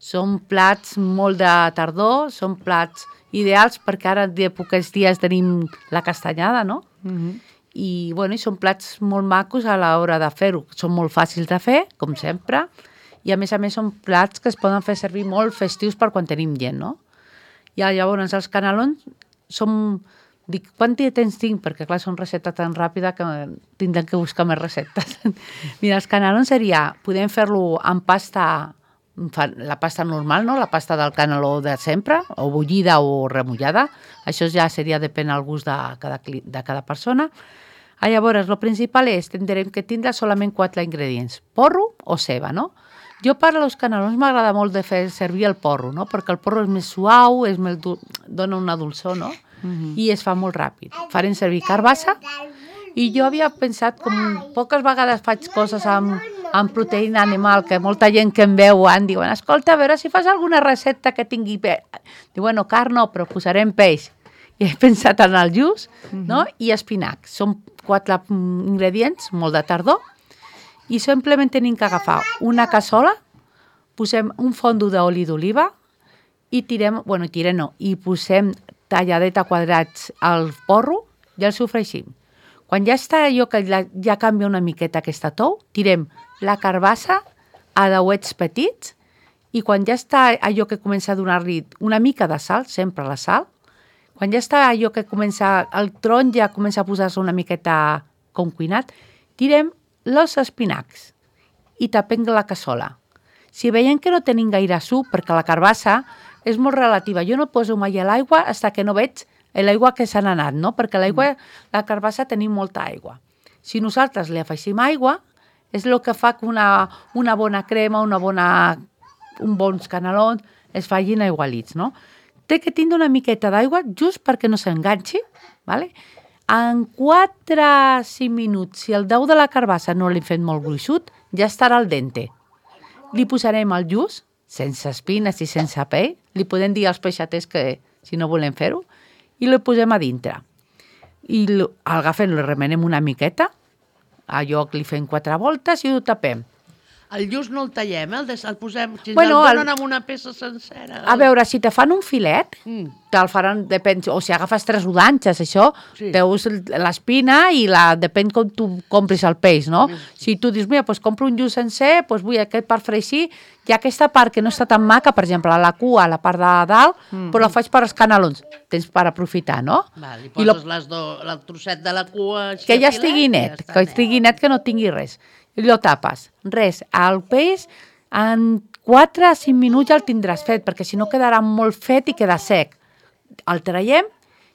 Són plats molt de tardor, són plats ideals perquè ara de pocs dies tenim la castanyada, no? Mm-hmm. I, bueno, i són plats molt macos a l'hora de fer-ho. Són molt fàcils de fer, com sempre, i a més a més són plats que es poden fer servir molt festius per quan tenim gent, no? I llavors els canelons són... Dic, quant temps tinc? Perquè, clar, són recepta tan ràpida que tindrem que buscar més receptes. Mira, els canelons seria... Podem fer-lo amb pasta... la pasta normal, no? La pasta del caneló de sempre, o bullida o remullada. Això ja seria, depèn del gust de cada, de cada persona. Ah, llavors, el principal és, tindrem que tindre solament quatre ingredients, porro o ceba, no? Jo per als canelons m'agrada molt de fer servir el porro, no? Perquè el porro és més suau, és més du... dona una dolçor, no? Mm-hmm. I es fa molt ràpid. Farem servir carbassa i jo havia pensat, com poques vegades faig coses amb, amb proteïna animal, que molta gent que em veu en diuen, escolta, a veure si fas alguna recepta que tingui peix. Diu, bueno, carn no, però posarem peix. I he pensat en el lluç, mm-hmm. no? I espinac. Són quatre ingredients, molt de tardor, i simplement tenim que agafar una cassola, posem un fondo d'oli d'oliva i tirem, bueno, tirem no, i posem talladet a quadrats al porro i el sofregim. Quan ja està allò que ja, ja canvia una miqueta aquesta tou, tirem la carbassa a dauets petits i quan ja està allò que comença a donar-li una mica de sal, sempre la sal, Quan ja està allò que comença, el tron ja comença a posar-se una miqueta com cuinat, tirem els espinacs i tapem la cassola. Si veiem que no tenim gaire suc, perquè la carbassa és molt relativa, jo no poso mai a l'aigua fins que no veig l'aigua que s'ha anat, no? Perquè l'aigua, la carbassa tenim molta aigua. Si nosaltres li afegim aigua, és el que fa que una, una bona crema, una bona, un bons canelons es facin aigualits, no? Té que tindre una miqueta d'aigua just perquè no s'enganxi, ¿vale? En quatre a cinc minuts, si el dau de la carbassa no l'hem fet molt gruixut, ja estarà al dente. Li posarem el lluç, sense espines i sense pell, li podem dir als peixaters que si no volem fer-ho, i el posem a dintre. I agafem, el remenem una miqueta, allò que li fem quatre voltes i ho tapem. El lluç no el tallem, eh? el, des, el posem, si Bueno, el donen el- amb una peça sencera. A veure, si te fan un filet, Mm. te'l faran, depèn, o si agafes tres rodanxes, això, Sí. veus l'espina i la, depèn com tu compris el peix, no? Si tu dius, mira, doncs compro un lluç sencer, doncs vull aquest per fregir, i aquesta part que no està tan maca, per exemple, la cua, la part de dalt, mm. però la faig per als canelons, tens per aprofitar, no? Val, i I lo- poses les do, el trosset de la cua... així que ja a filet, estigui i net, ja està que estigui net, que no tingui res. I lo tapes. Res, el peix en quatre a cinc minuts ja el tindràs fet, perquè si no quedarà molt fet i queda sec. El traiem.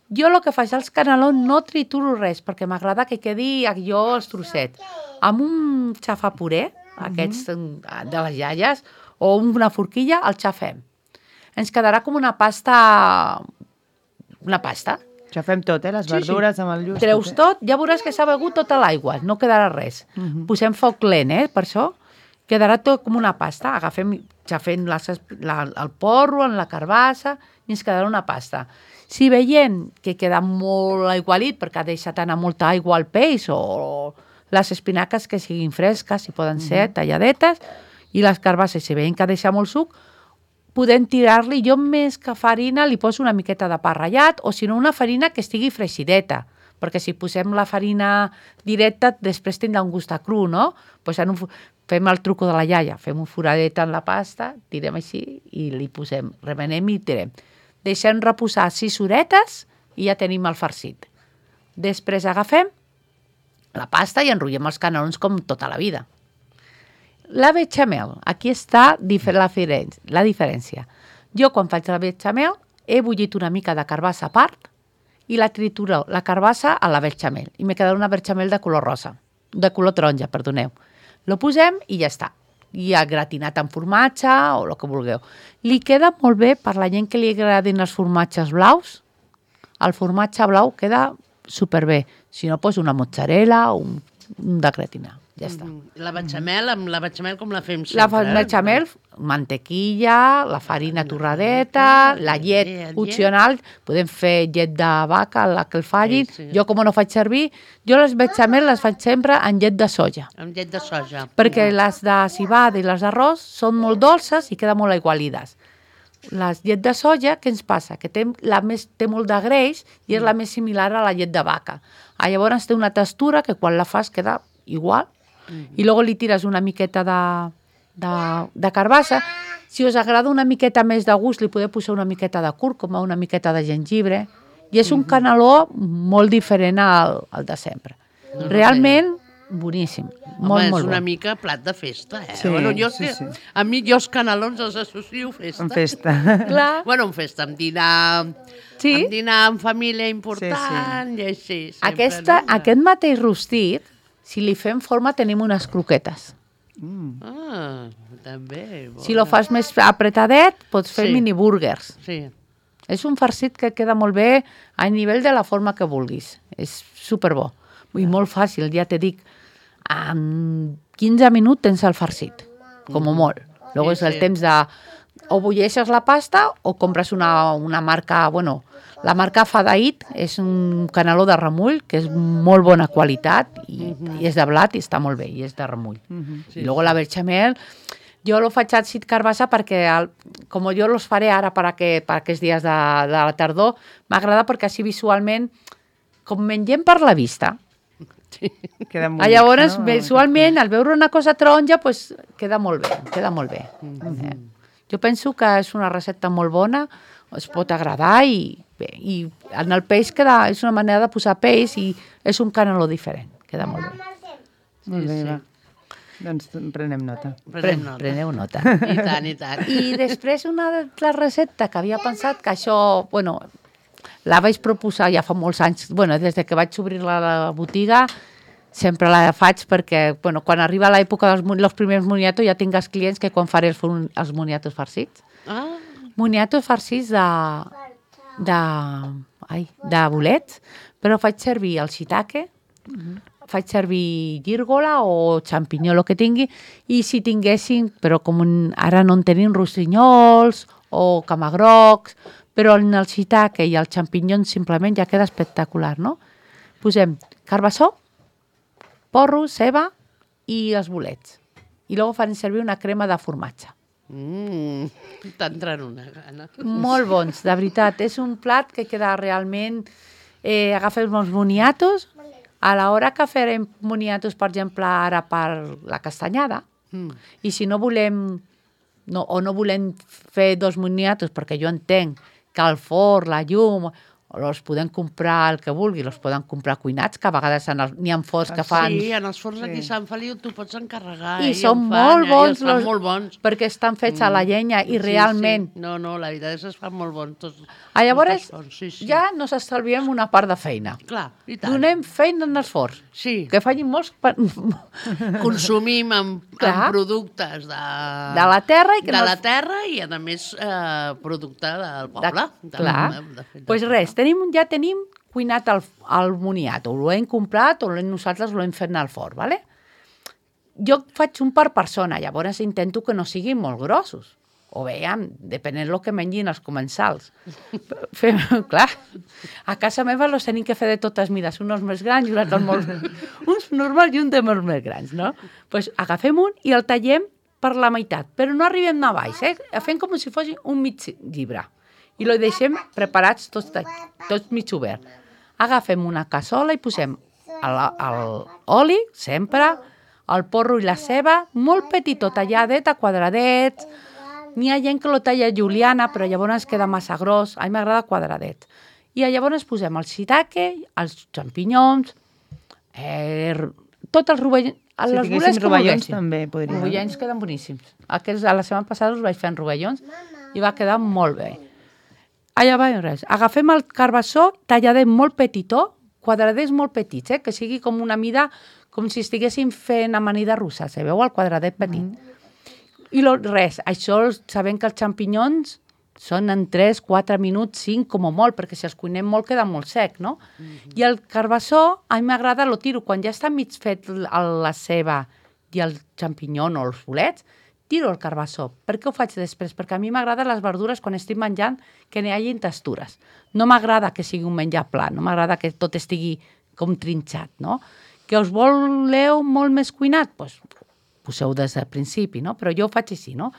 Jo el que faig als canelons no trituro res, perquè m'agrada que quedi allò els trossets. Amb un xafapuré, aquests de les iaies, o una forquilla, el xafem. Ens quedarà com una pasta... Una pasta. Això fem tot, eh? Les Sí, sí. verdures amb el lluç. Treus eh? tot, ja veuràs que s'ha begut tota l'aigua, no quedarà res. Uh -huh. Posem foc lent, eh, per això. Quedarà tot com una pasta. Agafem, xafem les, la, el porro en la carbassa i ens quedarà una pasta. Si veiem que queda molt aigualit perquè ha deixat anar molta aigua al peix o les espinaques que siguin fresques, si poden ser, talladetes, i les carbasses, si veiem que ha deixat molt suc, podem tirar-li, jo més que farina li poso una miqueta de pa ratllat o si no una farina que estigui freixideta, perquè si posem la farina directa després tindrà un gust a cru, no? Pues en un, fem el truco de la iaia, fem un foradet en la pasta, tirem així i li posem, remenem i tirem. Deixem reposar sis horetes i ja tenim el farcit. Després agafem la pasta i enrotllem els canelons com tota la vida. La bechamel, aquí està la, la diferència. Jo, quan faig la bechamel, he bullit una mica de carbassa a part i la trituro, la carbassa a la bechamel. I m'he quedat una bechamel de color rosa, de color taronja, perdoneu. Lo posem i ja està. I ha gratinat amb formatge o el que vulgueu. Li queda molt bé per la gent que li agradin els formatges blaus. El formatge blau queda superbé. Si no, poso una mozzarella o un, un de gratinar. Ja està. La bechamel, amb la bechamel com la fem La sempre? bechamel, mantequilla, la farina torradeta, la llet llet. opcional, podem fer llet de vaca, la que el facin. Sí, sí. Jo, com no faig servir, jo les bechamel les faig sempre en llet de soja, Amb llet de soja. perquè les de cibada i les d'arròs són molt dolces i queden molt aigualides. Les llet de soja, què ens passa? Que té, la més, té molt de greix i és la més similar a la llet de vaca. Ah, llavors té una textura que quan la fas queda igual. I després li tires una miqueta de, de, de carbassa. Si us agrada una miqueta més de gust, li podeu posar una miqueta de cúrcuma, una miqueta de gengibre. I és un caneló molt diferent al, al de sempre. Realment, boníssim. Molt, Home, molt és una bo. mica plat de festa, eh? Sí, bueno, jo sí, que, sí. A mi, jo els canelons els associo a festa. En festa. Clar. Bueno, en festa, amb dinar, Sí. amb dinar amb família important, sí, sí. i així. Sempre, Aquesta, no? aquest mateix rostit, si li fem forma, tenim unes croquetes. Ah, també. Bona. Si lo fas més apretadet, pots fer Sí. mini burgers. Sí. És un farcit que queda molt bé a nivell de la forma que vulguis. És superbo. I molt fàcil, ja te dic, en quinze minuts tens el farcit, com a molt. Luego és Sí, el sí. temps de... O bulleixes la pasta o compres una, una marca... Bueno, la marca Fadaït és un caneló de remull que és molt bona qualitat i, i és de blat i està molt bé, i és de remull. Sí, I luego la bechamel... Jo lo faig així carbassa perquè, el, com jo los faré ara per, aquest, per aquests dies de, de la tardor, m'agrada perquè així visualment, com mengem per la vista, Queda molt ah, llavors no? visualment, al veure una cosa taronja, pues, queda molt bé, queda molt bé. Eh? Jo penso que és una recepta molt bona, es pot agradar i, bé, i en el peix queda, és una manera de posar peix i és un caneló diferent, queda molt bé. Molt bé, va. Doncs prenem nota. Prenem nota. Preneu nota. I tant, i tant. I després una altra recepta que havia pensat que això, bueno, la vaig proposar ja fa molts anys, bueno, des de que vaig obrir la, la botiga, sempre la faig perquè, bueno, quan arriba l'època dels los primers moniatos ja tinc els clients que quan faré els, els moniatos farcits. Ah, Moniatos farcits de, de, ai, de bolets, però faig servir el shiitake, faig servir gírgola o xampinyó, el que tingui, i si tinguessin, però com un, ara no en tenim rossinyols o camagrocs, però en el shiitake i el xampinyó simplement ja queda espectacular, no? Posem carbassó, porro, ceba i els bolets. I després farem servir una crema de formatge. mm, t'entrant una gana. Molt bons, de veritat. És un plat que queda realment... Eh, agafem els moniatos, a l'hora que farem moniatos, per exemple, ara per la castanyada, Mm. i si no volem, no, o no volem fer dos moniatos, perquè jo entenc que el forn, la llum, els podem comprar el que vulgui, els poden comprar cuinats, que a vegades n'hi ha forns que fan... Sí, en els forns aquí a Sí. Sant Feliu tu pots encarregar. I eh, són en fan, molt eh, bons, I els fan los- molt bons. perquè estan fets a la llenya i Sí, realment... Sí. No, no, la veritat és que es fan molt bons. Tots, Ah, llavors, tots els forns, sí, sí. ja nos estalviem una part de feina. Clar, i tant. Donem feina en els forns. Sí, Que facin molts... pa- consumim amb, Clar. amb productes de, De la terra i que de no la els- terra i, a més, eh, producte del poble. De, clar. De, de, de, pues res, tenim, ja tenim cuinat el, el moniato. Ho hem comprat o l'hem- nosaltres l'hem fet al forn, ¿vale? Jo faig un per persona, llavors intento que no siguin molt grossos. O veiem, depenent del que mengin els comensals. Fem, clar, a casa meva los tenim que fer de totes mides, uns més grans i uns altres molt... uns normals i uns de molt més grans, no? Pues agafem un i el tallem per la meitat, però no arribem a baix, eh? Fem com si fos un mig llibre. I el deixem preparats tots, tots mig obert. Agafem una cassola i posem l'oli, sempre, el porro i la ceba, molt petitó, talladet a quadradets. N'hi ha gent que lo talla juliana, però llavors queda massa gros. A mi m'agrada quadradet. I llavors posem el shiitake, els xampinyons, eh, tots els rovellons. Si les tinguéssim boles que rovellons volguéssim. també podria. Rovellons queden boníssims. Aquests, a la setmana passada els vaig fer en rovellons i va quedar molt bé. Allà va res. Agafem el carbassó talladet molt petitó, quadradets molt petits, eh? Que sigui com una mida, com si estiguéssim fent amanida russa, se veu el quadradet petit. Mm. I lo, res, això sabem que els xampinyons són en tres, quatre minuts, cinc com a molt, perquè si els cuinem molt queda molt sec, no? Mm-hmm. I el carbassó, a mi m'agrada, lo tiro, quan ja està mig fet el- la ceba i el xampinyon o els bolets, tiro el carbassó. Per què ho faig després? Perquè a mi m'agraden les verdures quan estic menjant que n'hi hagi textures. No m'agrada que sigui un menjar pla, no m'agrada que tot estigui com trinxat, no? Que us voleu molt més cuinat? Doncs poseu des del principi, no? Però jo ho faig així, no?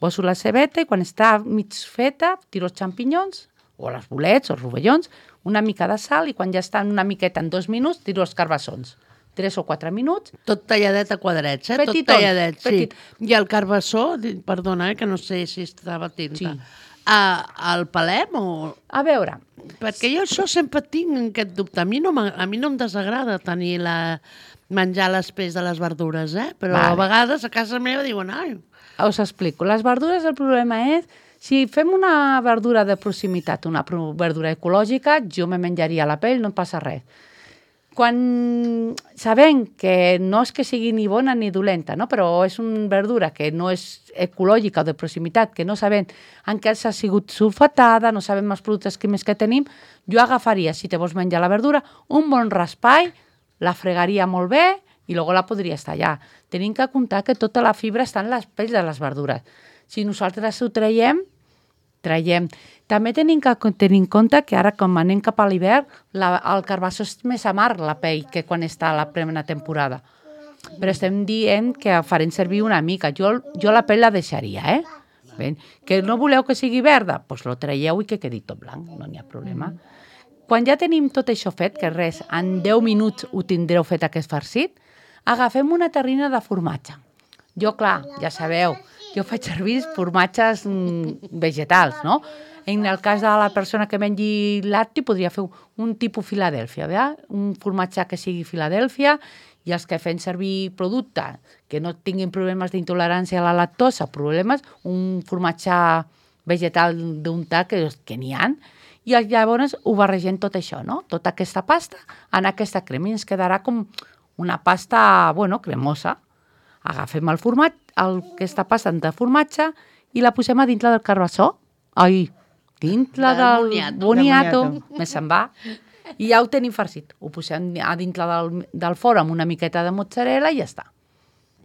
Poso la cebeta i quan està mig feta, tiro els xampinyons, o els bolets, o els rovellons, una mica de sal i quan ja estan una miqueta en dos minuts, tiro els carbassons. Tres o quatre minuts. Tot talladet a quadrets, eh? Petitons, Tot talladet, sí. petit. I el carbassó, di- perdona, eh, que no sé si estava atenta. Sí. Ah, el palem o... A veure, Perquè jo això sempre tinc aquest dubte. A mi no, m'ag- a mi no em desagrada tenir la... menjar les peix de les verdures, eh? Però Vale. a vegades a casa meva diuen, ai, us explico. Les verdures, el problema és, si fem una verdura de proximitat, una pro- verdura ecològica, jo me menjaria la pell, no passa res. Quan sabem que no és que sigui ni bona ni dolenta, no? Però és una verdura que no és ecològica o de proximitat, que no sabem en què s'ha sigut sulfatada, no sabem els productes químics que tenim, jo agafaria, si te vols menjar la verdura, un bon raspall, la fregaria molt bé i després la podries tallar. Tenim que comptar que tota la fibra està en les pells de les verdures. Si nosaltres ho traiem, traiem. També tenim que tenir en compte que ara, com anem cap a l'hivern, la- el carbassó és més amarg, la pell, que quan està a la plena temporada. Però estem dient que farem servir una mica. Jo, jo la pell la deixaria, eh? Ben, que no voleu que sigui verda? Doncs pues lo traieu i que quedi tot blanc, no n'hi ha problema. Quan ja tenim tot això fet, que res, en deu minuts ho tindreu fet aquest farcit, agafem una terrina de formatge. Jo, clar, ja sabeu jo faig servir formatges mm, vegetals, no? En el cas de la persona que mengi lacti, podria fer un tipus Filadèlfia, ¿verdad? Un formatge que sigui Filadèlfia, i els que fem servir producte que no tinguin problemes d'intolerància a la lactosa, problemes, un formatge vegetal d'untar, que, que n'hi ha, i llavors ho barregem tot això, no? Tota aquesta pasta en aquesta crema i ens quedarà com una pasta, bueno, cremosa. Agafem el format, el, aquesta pasta de formatge i la posem a dintre del carbassó. Ai, dintre Del del boniato. boniato, Del me se'n va. I ja ho tenim farcit. Ho posem a dintre del, del forn amb una miqueta de mozzarella i ja està.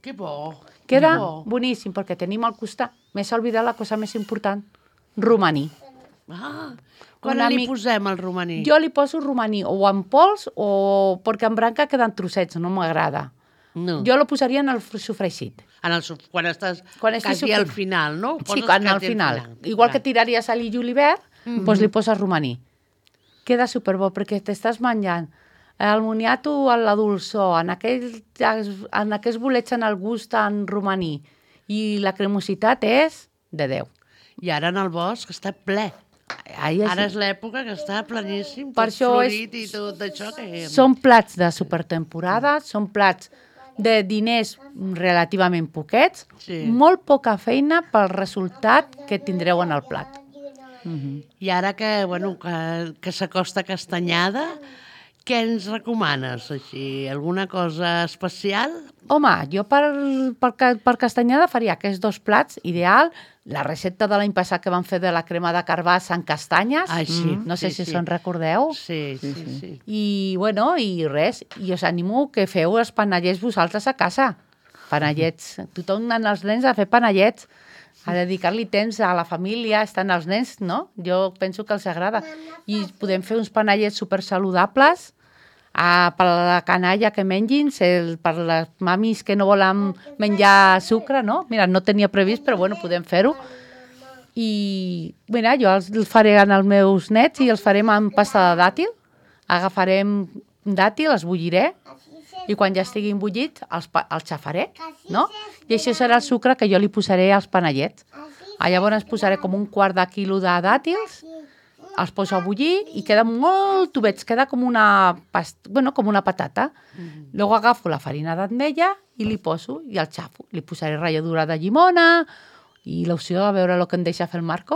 Que bo. Queda que bo. boníssim, perquè tenim al costat, m'he oblidat la cosa més important, romaní. Ah, quan Una li mic- posem el romaní? Jo li poso romaní o en pols o perquè en branca queden trossets, no m'agrada. No. Jo lo posaria en el sofregit. En el, suf- quan estàs Quan estic quasi al sofrint. final, no? Sí, Poses quan al quasi final. Igual que tiraries a l'illo l'hivern, Mhm. doncs li poses romaní. Queda superbo perquè t'estàs menjant el moniato a la dolçor, en aquells, en aquells bolets en el gust en romaní i la cremositat és de Déu. I ara en el bosc està ple. Ai, és- Ara és l'època que està pleníssim, Per tot això és- florit i tot això. Que... Són plats de supertemporada, són plats de diners relativament poquets, Sí. molt poca feina pel resultat que tindreu en el plat. I ara que, bueno, que, que s'acosta Castanyada, què ens recomanes, així? Alguna cosa especial? Home, jo per, per, ca- per Castanyada faria aquests dos plats, ideal. La recepta de l'any passat que vam fer de la crema de carbassa en castanyes, Ai, sí, no sé sí, si sí. se'n recordeu. Sí, sí, sí. sí. I, bueno, i res, i us animo que feu els panellets vosaltres a casa. Panellets, tothom en els nens a fer panellets, a dedicar-li temps a la família, estan els nens, no? Jo penso que els agrada. I podem fer uns panellets super saludables a, per a la canalla que mengin, el, per les mamis que no volen menjar sucre, no? Mira, no tenia previst, però bueno, podem fer-ho. I, mira, jo els, els faré als meus nets i els farem amb pasta de dàtil. Agafarem dàtil, els bulliré, i quan ja estiguin bullits els, pa- els xafaré, no? I això serà el sucre que jo li posaré als panellets. Ah, llavors posaré com un quart de quilo de dàtils, els poso a bullir i queden molt tubets, queda com una, past... bueno, com una patata. Mm-hmm. Luego agafo la farina d'ametlla i li poso i el xafo. Li posaré ratlladura de llimona i l'opció a veure el que em deixa fer el Marco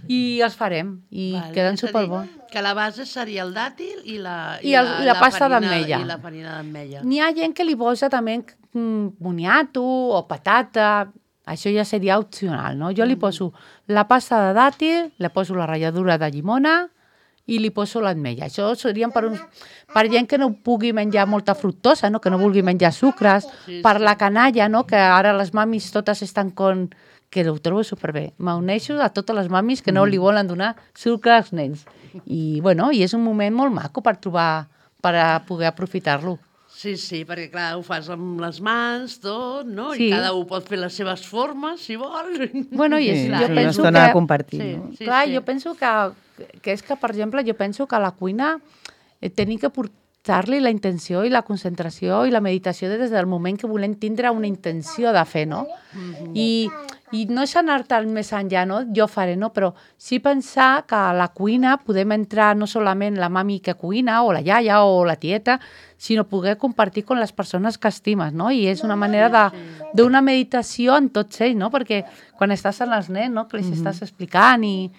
i els farem i Vale, queden és a dir, superbons. Que la base seria el dàtil i la, I el- i la pasta farina- d'ametlla. I la farina d'ametlla. N'hi ha gent que li posa també mm, boniato o patata, això ja seria opcional, no? Jo li poso la pasta de dàtil, li poso la ratlladura de llimona i li poso l'ametlla. Això serien per, uns, per gent que no pugui menjar molta fructosa, no? Que no vulgui menjar sucres, Sí, per sí. la canalla, no? Que ara les mamis totes estan con... que ho trobo superbé. M'uneixo a totes les mamis que no li volen donar sucre als nens. I, bueno, i és un moment molt maco per trobar, per a poder aprofitar-lo. Sí, sí, perquè clar, ho fas amb les mans, tot, no? Sí. I cada un pot fer les seves formes, si vol. Bueno, i és, Sí, jo és una penso estona que... de compartir, Sí. no? Clar, jo penso que, que és que, per exemple, jo penso que a la cuina eh, tenim que portar-li la intenció i la concentració i la meditació des del moment que volem tindre una intenció de fer, no? I, i no és anar-te'n més enllà, no? Jo faré, no? Però sí pensar que a la cuina podem entrar no solament la mami que cuina o la iaia o la tieta, sinó poder compartir amb les persones que estimes, no? I és una manera de- d'una meditació en tots ells, no? Perquè quan estàs amb els nens, no? Que els estàs explicant i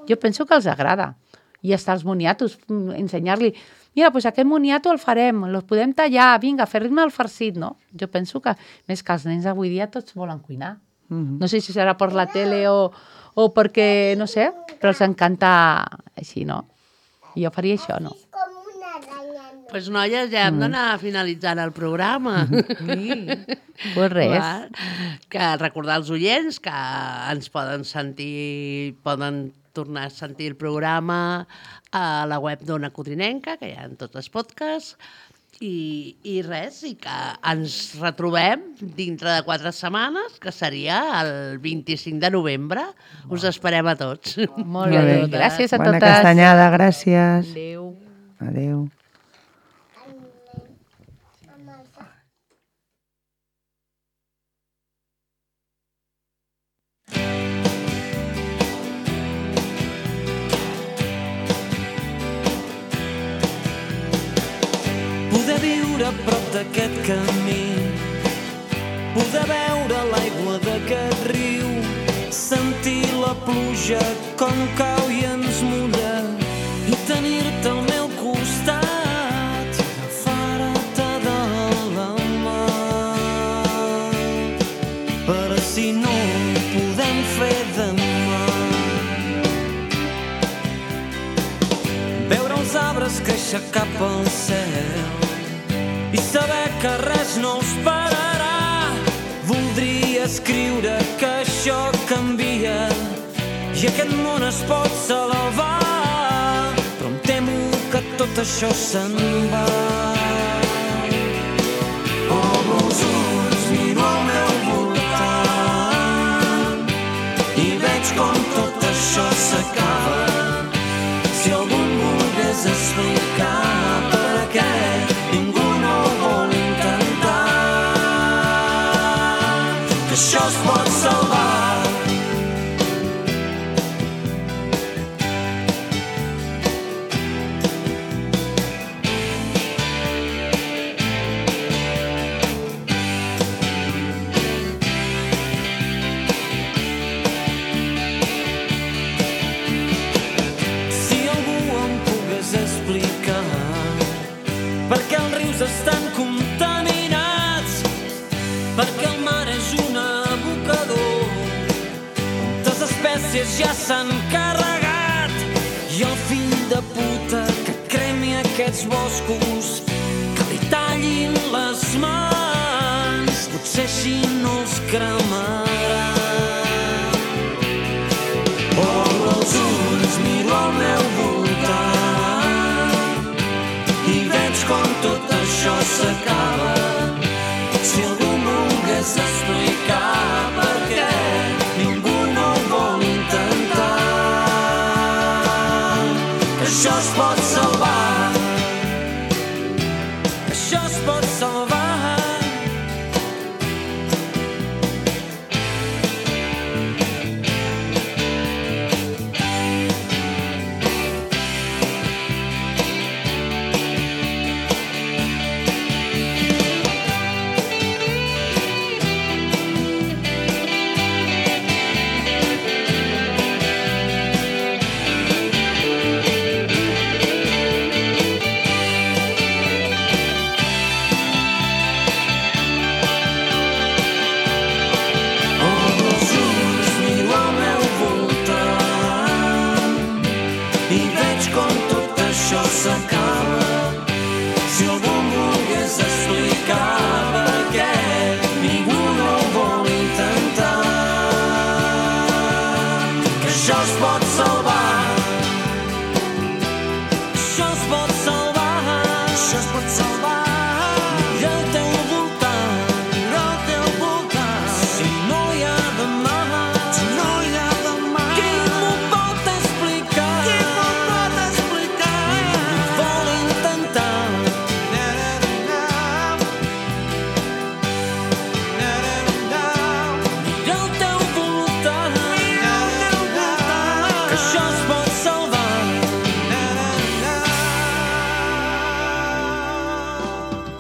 jo penso que els agrada. I està els moniatos, mm, ensenyar-li, mira, doncs aquest moniato el farem, el podem tallar, vinga, fer-me el farcit, no? Jo penso que, més que els nens avui dia tots volen cuinar. Mhm. No sé si serà per la tele o, o perquè, no sé, però els encanta així, no? I jo faria això, no? Doncs pues, noies, ja hem d'anar finalitzant el programa. Sí. Pues res. Va, que recordar als oients que ens poden sentir, poden tornar a sentir el programa a la web d'Ona Codrinenca, que hi ha en tots els podcasts, i, i res, i que ens retrobem dintre de quatre setmanes, que seria el vint-i-cinc de novembre. Us esperem a tots. Molt Molt bé. bé. Gràcies a Bona totes. castanyada, gràcies. Adéu. Adéu. viure a prop d'aquest camí, poder veure l'aigua d'aquest riu, sentir la pluja com cau i ens mulla, i tenir-te al meu costat, agafar-te de la mà. Per si no ho podem fer demà, veure els arbres créixer cap al cel i saber que res no els pararà. Voldria escriure que això canvia i aquest món es pot salvar, però em temo que tot això se'n va. Obro els ulls, miro al meu voltant i veig com tot això s'acaba. Si algú em volgués explicar per què ningú no ho vol intentar, que això es pot salvar. Estan contaminats, perquè el mar és un abocador, moltes espècies ja s'han carregat, i el fill de puta que cremi aquests boscos, que li tallin les mans, potser així no els cremarà. Obro els ulls, miro al meu voltant i veig com tot això s'acaba. Si algú volgués explicar per què ningú no ho vol intentar, que això es pot salvar, que això es pot salvar. I veig com tot això s'acaba.